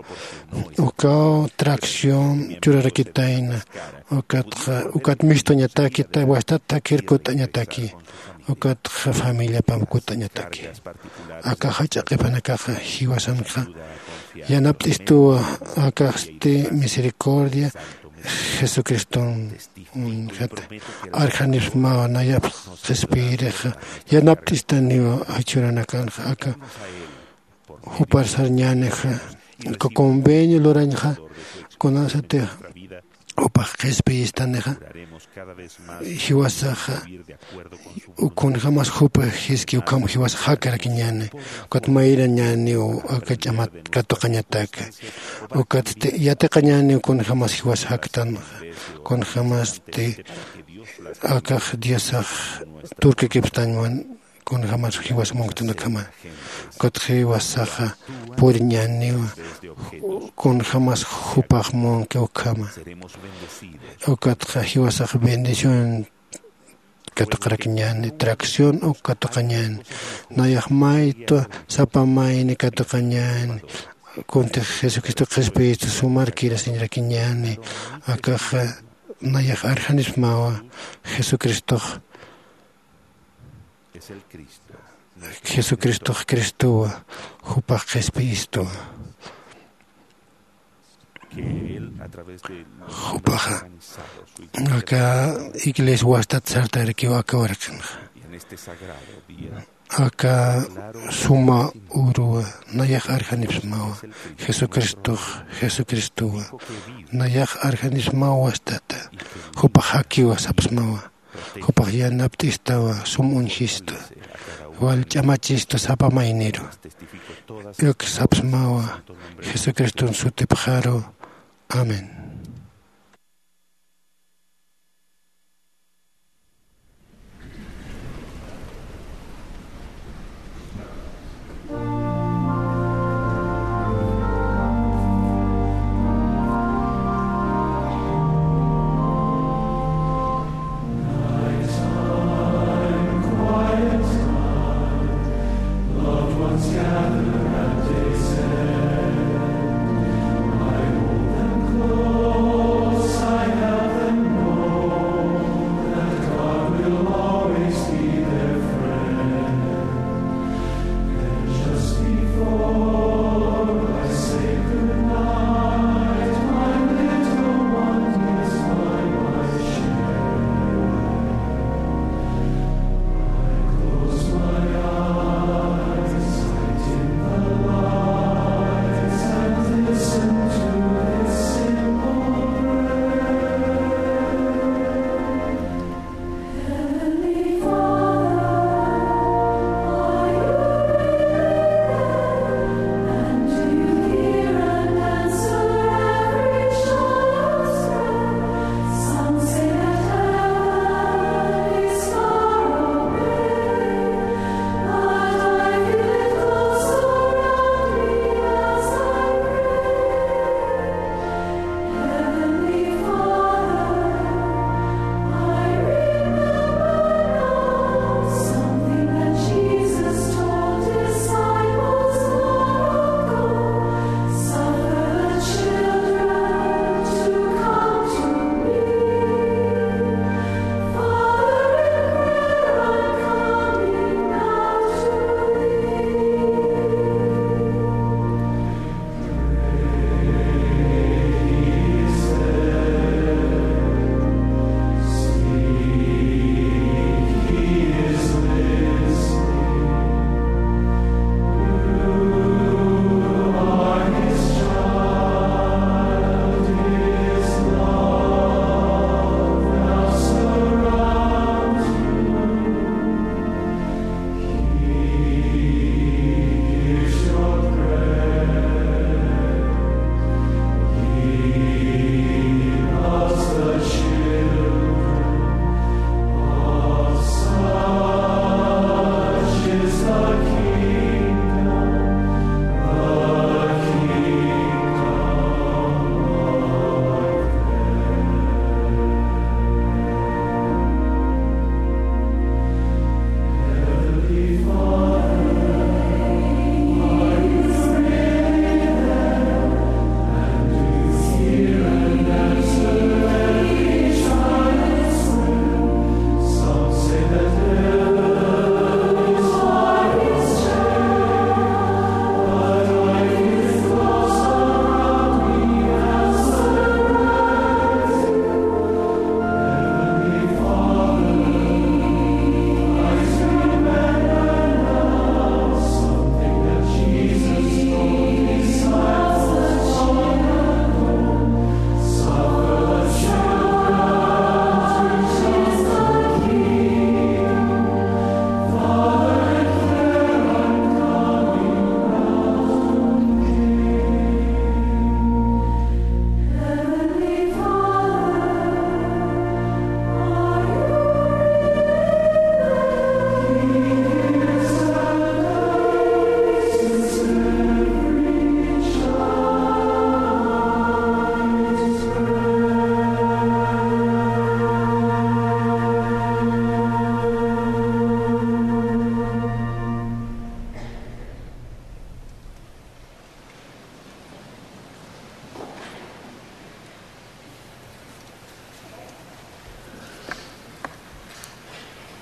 ukaw tracción churarakitayna. Ukatxa ukat mistuñatakita wastat thakir kut'añataki. Ukatxa familiapam kut'añataki. Aka jach'a q'ipanakaxa jiwasanxa yanapt'istuwa. Akaxti misericordia jesucriston arjanipsmawa nayap qhispiyirixa yanapt'istaniwa. Jichhüranakanxa aka jupar sarñänixa aka convenio lurañxa kunasatix jupax qhispiyistanixa jiwasaxa kunjämas jupa jiski ukham jiwasax jakarakiñäni. Ukat mayrañäniw aka ch'amat katuqañataka ukatsti yatiqañäniw kunjämas jiwas jaktanxa kunjämasti akax diosax turkakipstañwan kunjämas jiwas munktanakama. Ukatxa jiwasaxa puriñäniwa kunjämas jupax munki ukhama. Ukatxa jiwasax bendición katuqarakiñäni, tracción uk katuqañäni, nayax maytwa sapa mayni katuqañäni. Kuntix Jesucristo qhispiyistu sumarkirasiñrakiñäni. Akaxa nayax arxanismawa. Jesucristox, Jesucristox Cristowa, jupax qhispiyistuwa. Jupaxa aka iglesia wastat sartarakiwa aka warqinxa. Aka suma uruwa nayax arxanipsmawa. Jesucristox, Jesucristowa nayax arxanipsmawa wastata. Jupax jakiwa sapsmawa. Jupax yanapt'istawa, sum uñjista, wal ch'amachista sapa mayniru. Uk sapsmawa Jesucriston sutipxaru. Amén.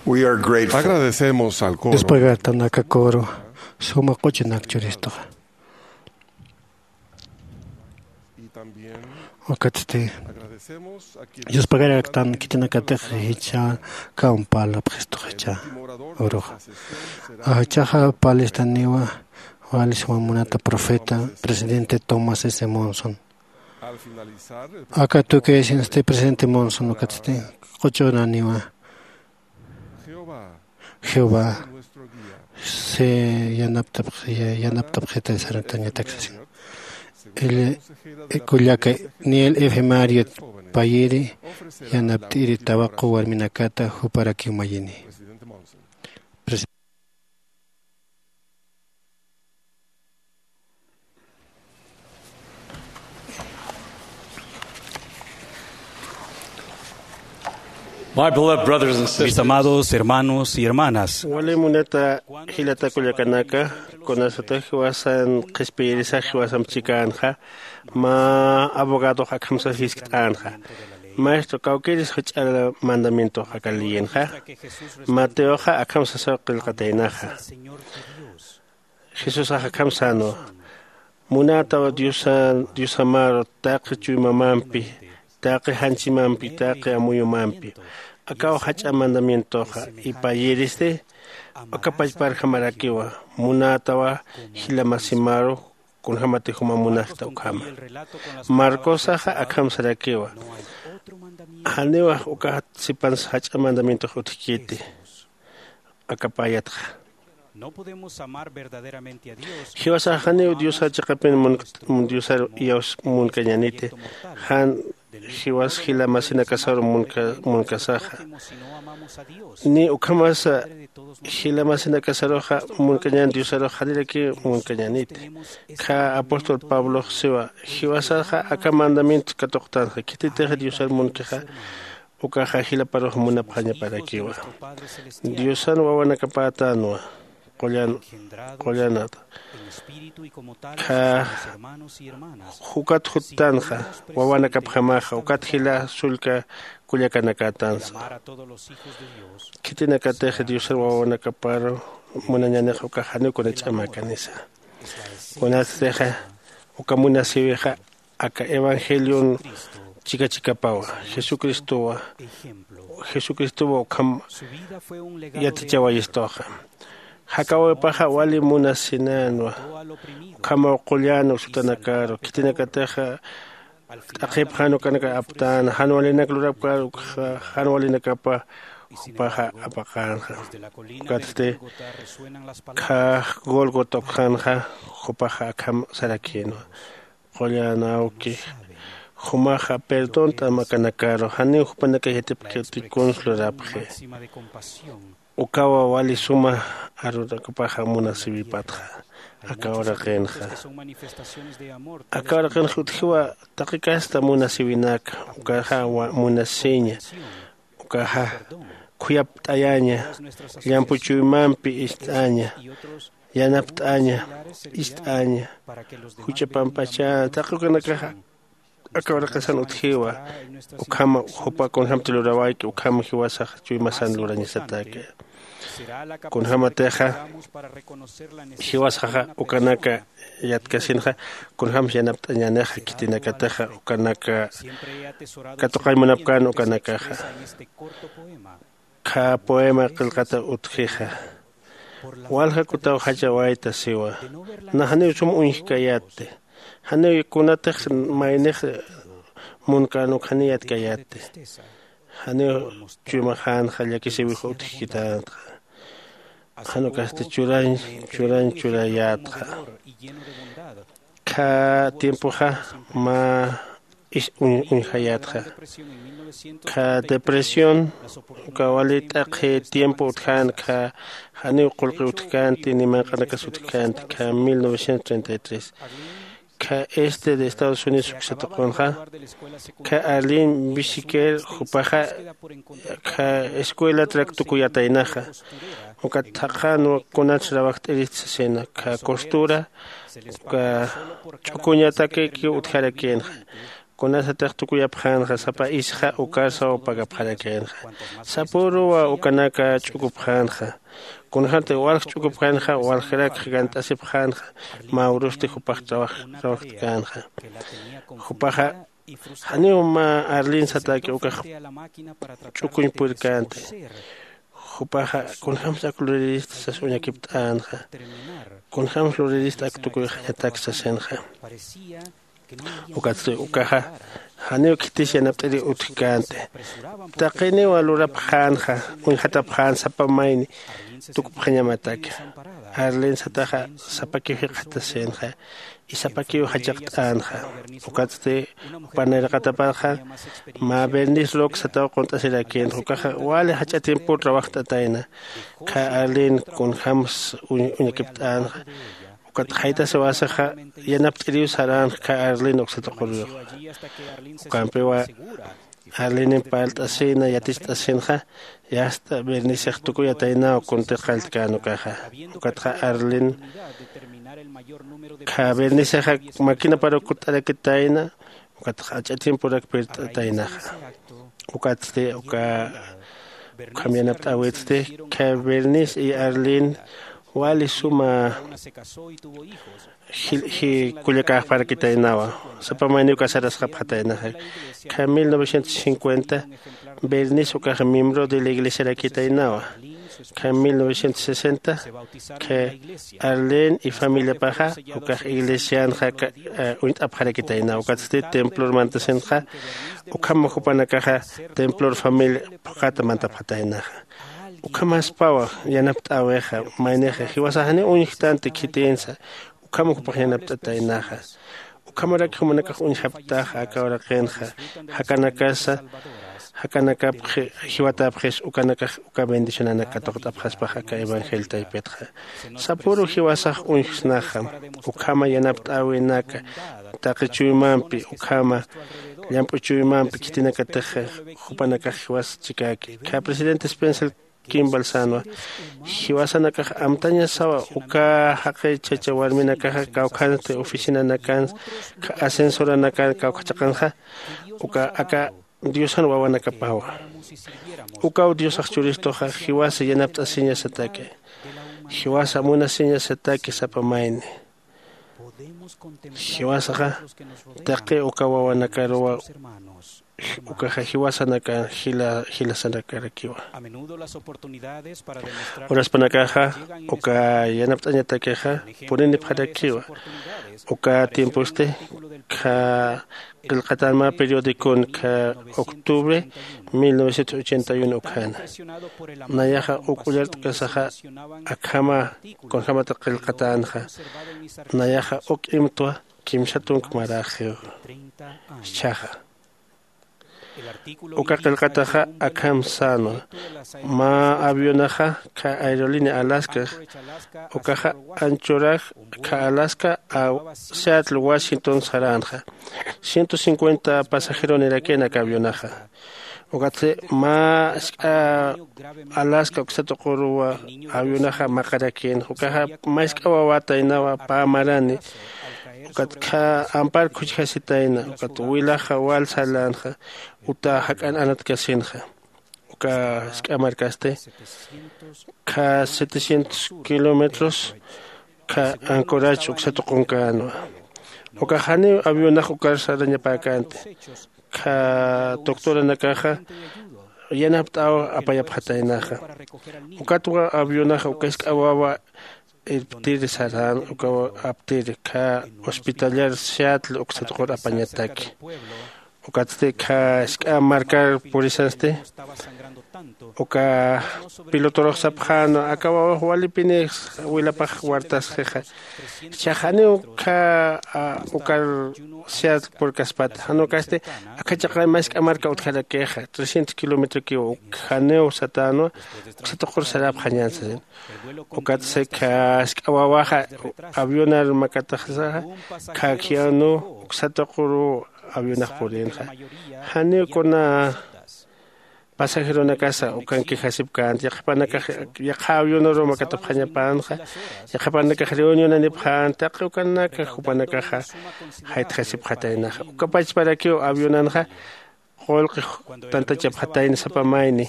We are grateful. Agradecemos al coro. Yuspagartan aka coro suma q'uchunak churistuxa. Ukatsti yuspagaraktan khitinakatix jichha kampal apxistuxa jichha uruxa. Jichhaxa palistaniwa wali suma munata profeta presidente Thomas S Monson. Aka tukisinsti presidente Monson ukatsti q'uchunaniwa Jehová si yanaptapxita saratañatak sasin. Kullaka Niel F Marriott payiri yanapt'iri tawaqu warminakata juparakiw mayini. My beloved brothers and sisters, mis amados hermanos y hermanas, wali munata jilata kullakanaka, kunasatix jiwasan qhispiyirisax jiwasamp chikänxa, mä abogadox akhamsa jiskt'änxa. Maestro, kawkïris jach'a mandamientox aka leyinxa. Mateoxa akham sasaw qillqataynaxa. Jesusax akham sänwa. Munätaw diosa, diosamaru taqi chuymamampi, taqi janchimampi, taqi amuyumampi. Akaw jach'a mandamientoxa. Ipayiristi uka pachparjamarakiwa. Munätawa jila masimaru kunjämatix juma munasta ukhama. Marcosaxa akham sarakiwa. Janiwax uka sipansa jach'a mandamientox utjkiti. Akapayatxa. Jiwasax janiw diosa chiqapin diosar iyaws munkañäniti. Jan jiwas jila masinakasaru munkasaxa. Ni ukhamasa jila masinakasaruxa munkañän diosarux janirakiw munkañäniti. Kha apóstol pablox siwa jiwasaxa aka mandamientos katuqtanxa khititix diosar munkixa. Ukaxa jilaparux munapxañaparakiwa. Diosan wawanakapätänwa. Qullan qullanata. Kha jukat juttanxa wawanakapjamaxa ukat jila sullka kullakanakatansa. Khitinakatix diosar wawanakaparu munañanix ukax janiw kuna ch'amakanisa. Kunatstixa uka munasïwixa aka evangelion chika chikapawa. Jesucristowa jesucristowa ukham yatichawayistuxa. Jakawipaxa wali munasinänwa. Ukhamaw qullan usutanakaru khitinakatixa t'aqhipxan ukanaka aptän jan walinak lurapkar ukxa jan walinakapa jupaxa apaqänxa. Ukatsti kha golgota ukxänxa jupaxa akham sarakïnwa. Qullan awki jumaxa perdón t'amakanakaru janiw jupanakax yatipkiti kuns lurapxi. Ukawa wali suma arunakapaxa munasïwipatxa. Aka uraqinxa aka uraqinxa utjiwa taqi kasta munasïwinaka. Ukaxa munasïña ukaxa khuyapt'ayaña. Llampu chuymampi ist'aña yanapt'aña ist'aña juch'a pampachä taqi ukanakaxa. Aka uraqasan utjiwa ukhama jupa kunjämti lurawayki ukhama jiwasax chuymasan lurañasataki. Kunjämatixa jiwasaxa ukanaka yatkasinxa kunjämsa yanapt'añänixa khitinakatixa ukanaka katuqañ munapkän ukanakaxa. Kha poema qillqata utjixa walja kutaw jachawayta siwa. Nax janiw sum uñjkayätti janiw kunatix maynix munkän uk janiw yatkayätti. Janiw chuymaxänxa llakisïwix utjkitänxa. Jan ukasti churañ churañ churayätxa. Kha tiempoxa mä is uñjayätxa. Kha depresión uka wali t'aqhi tiempo utjän kha janiw qullqi utjkänti ni manq'anakas utjkänti kha mil novecientos treinta y tres. Kha este de estados unidos uksatuqunxa kha arlin bisiker jupaxa kha escuela traktukuyataynaxa. Ukat thaqhanwa kunats rawajt'irist sasina kha costura uka ch'ukuñatakikiw utjarakïnxa. Kunasatix tukuyapxänxa sapa isxa ukarsaw pagapxarakïnxa. Sapüruwa ukanaka ch'ukupxänxa. Kunjämti walj ch'ukupxänxa waljrakx gant'asipxänxa. Mä urusti jupax trabajt'känxa. Jupaxa janiw mä arlin satäki ukax ch'ukuñ purkänti. Jupaxa kunjämsa ak lurirista sas uñakipt'änxa. Kunjämsa lurirista ak tukuyxañatak sasinxa. Ukatsti ukaxa janiw khitis yanapt'iriw utjkänti. Taqiniwa lurapxänxa uñjatapxän sapa mayni tukupxañamataki. Arlin sataxa sapakiw jikxatasinxa isapakiw jachaqt'änxa. Ukatsti jupan nayraqatapaxa mä bernice rock sataw qunt'asirakïnxa ukaxa wali jach'a tiempo trabajt'atayna. Khä arlin kunjämsa uñakipt'änxa. Ukat jaytasiwasixa yanapt'iriw saränxa khä arlin uksatuquruyuxa. Ukampiwa arlinin parlt'asïna yaticht'asïnxa. Yasta bernicix tukuyataynaw kuntir qalltkän ukaxa. Ukatxa arlin khä bernicexa makinaparuw kutt'arakitayna. Ukatxa ach'a tiemporak pirt'ataynaxa. Ukatsti uka ukham yanapt'äwitsti khä bernice y arlin wali suma kullakäxparakitaynawa. Sapa mayniw casarasxapxataynaxa. Khä mil novecientos cincuenta bernice ukax miembro de la iglesiarakitaynawa. Khä mil novecientos sesenta khä arlin y familiapaxa ukax iglesianxa uñt'apxarakitaynawa ukatsti templor mantasinxa. Ukham jupanakaxa templor familia phuqhata mantapxataynaxa. Ukhamaspawa yanapt'äwixa maynixa jiwasax janiw uñjtanti khitinsa. Ukham jupax yanapt'ataynaxa. Ukhamarak jumanakax uñjapktaxa aka uraqinxa. Jakanakasa jakanakapxi jiwatäpxis ukanakax uka bendicionanak katuqt'apxaspax aka evangelio taypitxa. Sapüru jiwasax uñjsnaxa. Ukhama yanapt'äwinaka taqi chuymampi ukhama llamp'u chuymampi khitinakatix jupanakax jiwas chikäki khä presidente spencer kimball sänwa. Jiwasanakax amtañasawa uka jaqi chacha warminakaxa kawkhansti oficinanakansa ascensoranakan kawkhachaqanxa. Uka aka diosan wawanakapawa. Ukaw diosax churistuxa jiwasa yanapt'asiñasataki. Jiwasa munasiñasataki sapa mayni. Jiwasaxa taqi uka wawanakaruwa ukaxa jiwasanakan jilasanakarakiwa. Uraspanakaxa uka yanapt'añatakixa purinipxarakiwa. Uka tiemposti khä qillqatän mä periodicon khä octubre mil novecientos ochenta y uno ukhana. Nayaxa uk ullart'kasaxa akhama kunjämata qillqatänxa. Nayaxa uk imtwa kimsa tunk maräxiw. Jichhaxa uka qillqataxa akham sänwa. Mä avionaxa khä aerolínea alaskax ukaxa anchoraj khä alaska seattle washington saränxa. Ciento cincuenta pasajeronirakin aka avionaxa. Ukatsti mä jisk'a alaska uksatuquru avionaxa maqarakïnxa ukaxa mä jisk'a wawataynawa pä marani. Ukat khä ampar khuchjasitayna ukat wilaxa wal sarlänxa. Uta jak'an anatkasinxa uka jisk'a markasti khä setecientos kilómetros khä ancorach uksatuqunkänwa. Ukax janiw avionax ukar sarañapäkänti. Khä doctoranakaxa yanapt'aw apayapxataynaxa. Ukatwa avionaxa uka jisk'a wawa irptir sarän ukaw aptir khä hospitalar seattle uksatuqur apañataki. Ukatsti khä jisk'a markar purisansti uka pilotorux sapxänwa aka wawax walipinix wilapax wartasxixa. Jichhax janiw khä ukar seattle purkaspata jan ukasti akha chaqay mä jisk'a marka utjarakixa trescientos kilometrokiw janiw satänwa. Uksatuqur sarapxañän sasin. Ukatsti khä jisk'a wawaxa avionar makataxsaxa khä khianu uksatuquru avionax purinxa. Janiw kuna pasajeronakasa ukan quejasipkänti. Yaqhipanakax yaqha avionuru makatapxañapänxa, yaqhipanakax reunionanipxänti, taqi ukanaka jupanakaxa jaytxasipxataynaxa. Uka pachparakiw avionanxa qullqi tantachapxatayna sapa mayni,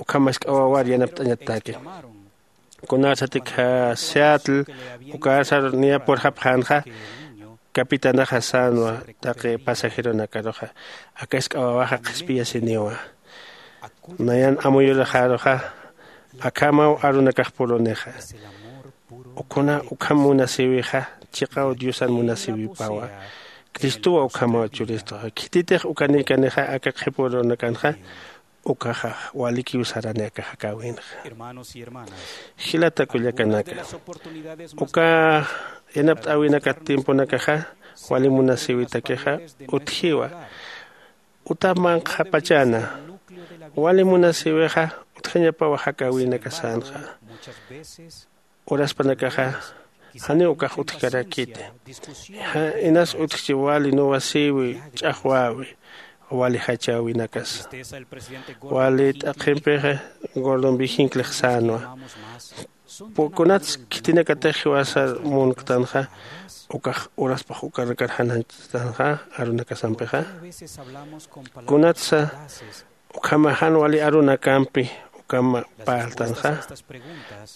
ukham mask'awawar yanapt'añataki. Kunarsatikxa Seattle ukarsar niya purxapxänxa, capitanaxa sänwa taqi pasajeronakaruxa, aka jisk'a wawaxa qhispiyasiniwa. Nayan amuyuraxaruxa akhamaw arunakax purunixa. Ukhuna ukham munasïwixa chiqaw Diosan munasïwipawa. Cristowa ukhamaw churistuxa. Khititix ukanikanixa aka qhipurunakanxa, ukaxa walikiw sarani aka jakäwinxa. Jilata kullakanaka, uka yanapt'äwinakat tiemponakaxa wali munasïwitakixa utjiwa. Uta manqhapachana wali munasïwixa utjañapawa jakäwinakasänxa. Uraspanakaxa janiw ukax utjkarakiti. Inas utjchi wali nuwasïwi, ch'axwäwi, wali jachäwinakas. Wali t'aqhimpixa Gordon B. Hincklix sänwa, kunats khitinakatix jiwasar munktanxa, ukax uraspax ukanakar jan janchtanxa arunakasampixa. Kunatsa ukhama jan wali arunakampi ukhama parltanxa,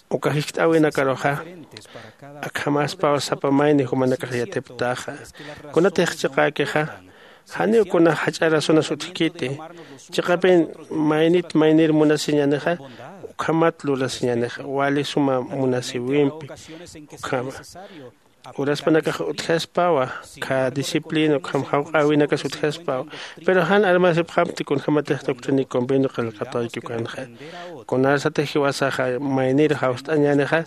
uka jiskt'äwinakaruxa akhamaspaw sapa mayni jumanakax yatipktaxa. Kunatix chiqäkixa janiw kuna jach'a razonas utjkiti. Chiqapin maynit maynir munasiñänixa, ukhamat lurasiñänixa wali suma munasïwimpi. Ukhama uraspanakax utjaspawa, kha disciplina ukham jawq'äwinakas utjaspawa. Pero jan armasipxamti kunjämatix doctrina y convenio qillqatayki ukanxa. Kunarsatix jiwasaxa maynir jawst'añänixa,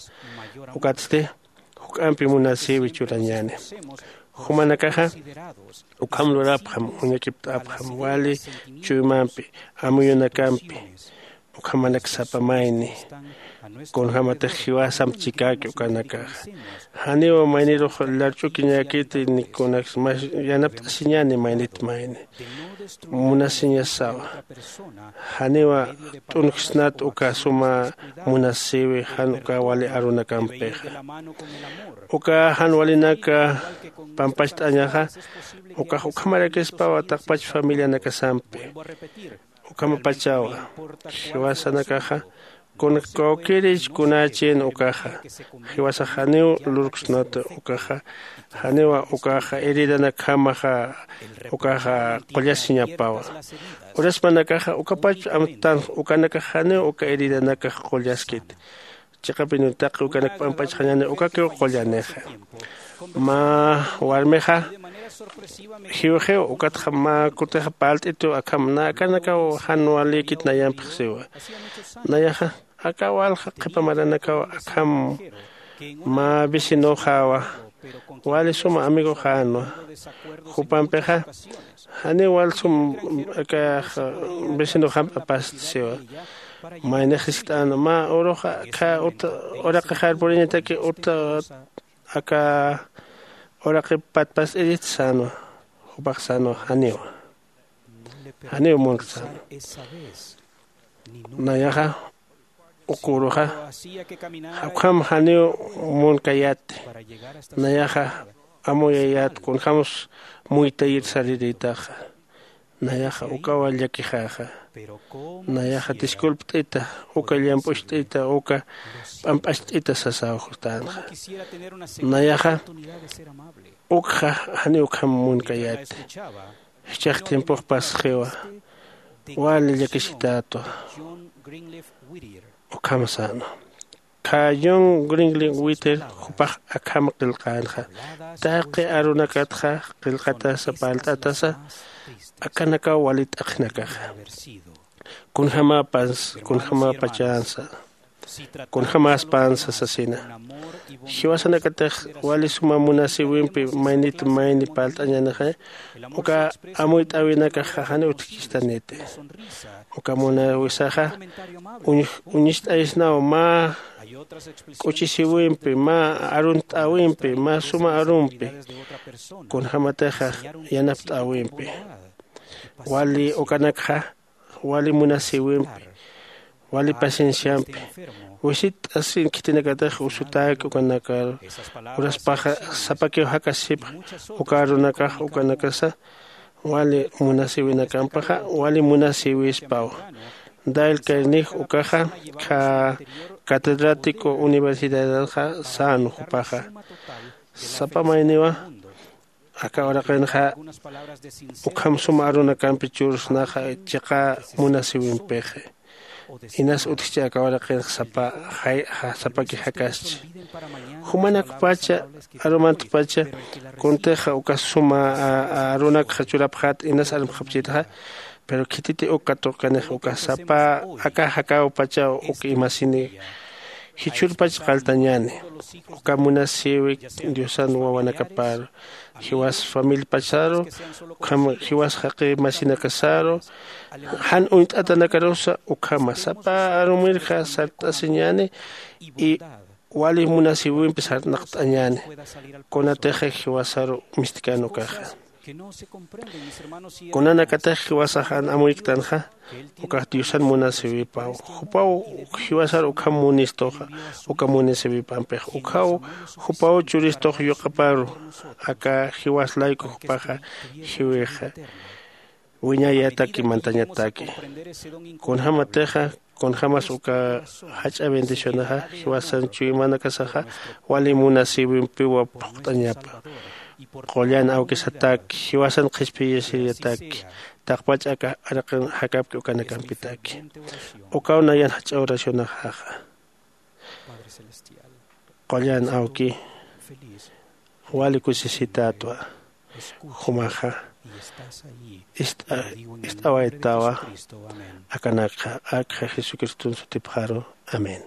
ukatsti juk'ampi munasïwi churañäni. Jumanakaxa ukham lurapxam, uñakipt'apxam wali chuymampi, amuyunakampi, ukhamanak sapa mayni. Kunjämatix jiwasamp chikäki ukanakaxa. Janiw maynirux larch'ukiñäkiti, ni kunaks mas yanapt'asiñäni maynit mayni. Munasiñasawa. Janiwa t'unksnat uka suma munasïwi jan uka wali arunakampixa. Uka jan walinaka pampacht'añaxa, ukax ukhamarakispawa taqpach familianakasampi. Ukhamapachawa, jiwasanakaxa, kun kawkïrich kunachin ukaxa, jiwasax janiw lurksnat ukaxa, janiwa ukaxa heridanakjamaxa ukaxa qullasiñapawa. Uraspanakaxa ukapach amtan ukanakax janiw uka heridanakax qullaskit. Chiqapin taqi ukanak p'amp'achxañäni ukakiw qullanixa. Mä warmixa jiwxiw, ukatxa mä kutixa parlt'itu akham, na akanakaw jan walïkit nayampix siwa. Nayaxa aka walja qhipa maranakaw akham mä vecinoxawa, wali suma amigoxänwa. Jupampixa janiw wal sum aka vecinoxamp apast siwa. Maynix jiskt'an mä uruxa aka uta uraqixar puriñataki uta aka uraqip patpast'irit sänwa. Jupax sänwa janiwa, janiw munktan. Nayaxa uk uruxa ukham janiw munkayäti. Nayaxa amuyayät kunjämsa muytayir sarirïtaxa. Nayaxa ukawa llakixäxa. Nayaxa disculpt'ita, uka llamp'ucht'ita, uka p'amp'acht'ita sasaw justänxa. Nayaxa ukxa janiw ukham munkayäti. Jichhax tiempox pasxiwa, wali llakisitätwa. Ukham sänwa. Kha John Grinling Whittier jupax akham qillqänxa. Taqi arunakatxa qillqatasa parlt'atasa, akanakaw wali t'aqhinakaxa. Kunjämäpas kunjämäpachänsa, kunjämäspansa sasina. Jiwasanakatix wali suma munasïwimpi maynit mayni parlt'añänixa, uka amuyt'äwinakaxa janiw utjkistaniti. Uka munasïwisaxa uñist'aysnaw mä k'uchisïwimpi, mä arunt'äwimpi, mä suma arumpi, kunjämatixa yanapt'äwimpi. Wali ukanakxa wali munasïwimpi, wali pacienciampi, wisit'asin khitinakatix usutäki ukanakar uraspaxa sapakiw jakasipx uka arunakax ukanakasa wali munasïwinakampaxa wali munasïwispaw. Dale Carnegie ukaxa kha catedrático universidadxa sän jupaxa sapa mayniwa aka uraqinxa ukham suma arunakampi churusnaxa chiqa munasïwimpixi. Inas utjchi aka uraqinxa sapa sapaki jakaschi jumanakpacha arumantpacha kuntixa uka suma arunakxa churapxät inas armxapchitxa. Pero khititi uk katuqkanix uka sapa aka jakawpachaw uk imasini jichhürpach qaltañäni uka munasïwi diosan wawanakaparu jiwas familiapacharu ukham jiwas jaqi masinakasaru jan uñt'atanakarusa ukhama sapa arumirja sart'asiñäni y wali munasïwimpi sarnaqt'añäni kunatixa jiwasaru mistkan ukaxa kunanakatix jiwasax jan amuyktanxa ukax diosan munasïwipaw jupaw jiwasar ukham munistuxa uka munasïwipampix ukhaw jupaw churistux yuqaparu aka jiwas layku jupaxa jiwixa wiñayataki mantañataki kunjämatixa kunjämas uka jach'a bendicionaxa jiwasan chuymanakasaxa wali munasïwimpiwa phuqt'añapa qullan awkisataki jiwasan qhispiyasiriyataki taqpach aka araqin jakapki ukanakampitaki ukaw nayan jach'a oracionaxaxa qullan awki wali kusisitätwa jumaxa ist'awaytawa akanakxa akxa jesucriston sutipxaru amén.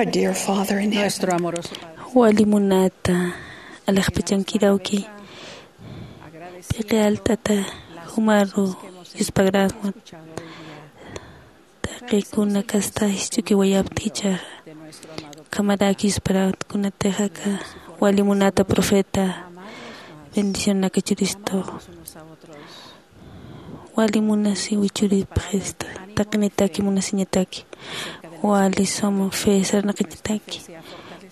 Our dear Father in heaven. Nuestro amoroso Padre. Wali munata, alaxpachankirawki, p'iqi alt'ata jumaru yuspagräsmut. Taqikuna kasta jisch'ukiwayaptkicha, ukhamaraki yusparätkunatix aka wali munata profeta, bendicionaka churistu. Wali munasiwi churipxista, taqinitaki munasiñataki. Wali suma fe sarnaqañataki.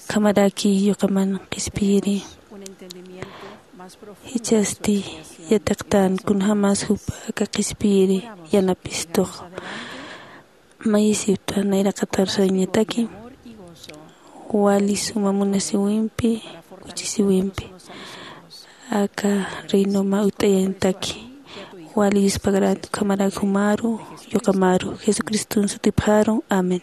Ukhamaraki yuqaman qhispiyiri. Jichhasti yatiqtän kunjämas jupa aka qhispiyiri yanapistux. Mayisipta nayraqatar sañataki. Wali suma munasiwimpi, kuchisiwimpi, aka reinoma utt'ayañataki. Wali yuspagräta, ukhamaraki jumaru, yuqamaru, Jesucriston sutipxaru. Amén.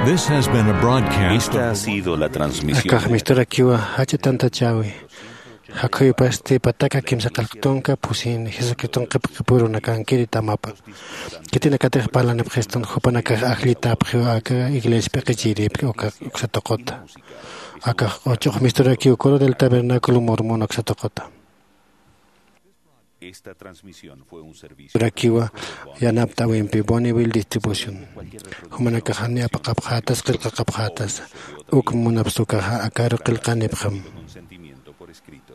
This has been a broadcast of Esta ha sido la transmisión. Akax misturakiwa jach'a tantachäwi. Jakhuyupasti pataka kimsa qillqtunka pusini Jesucriston qhipqipurunakankiri tamapa. Khitinakatix parlanipxistun jupanakax ajllitäpxiw aka iglesia p'iqichiripki uka uksa tuquta. Akax q'uch'ux misturakiw coro del tabernáculo mormón uksa tuquta. Esta transmisión fue un servicio. Rakiwa yanapt'äwimpi Bonneville Distribution. Jumanakaxani apaqapxätas qillqaqapxätas. Uk munapsukaxa akaru qillqanipxam. Consentimiento por escrito.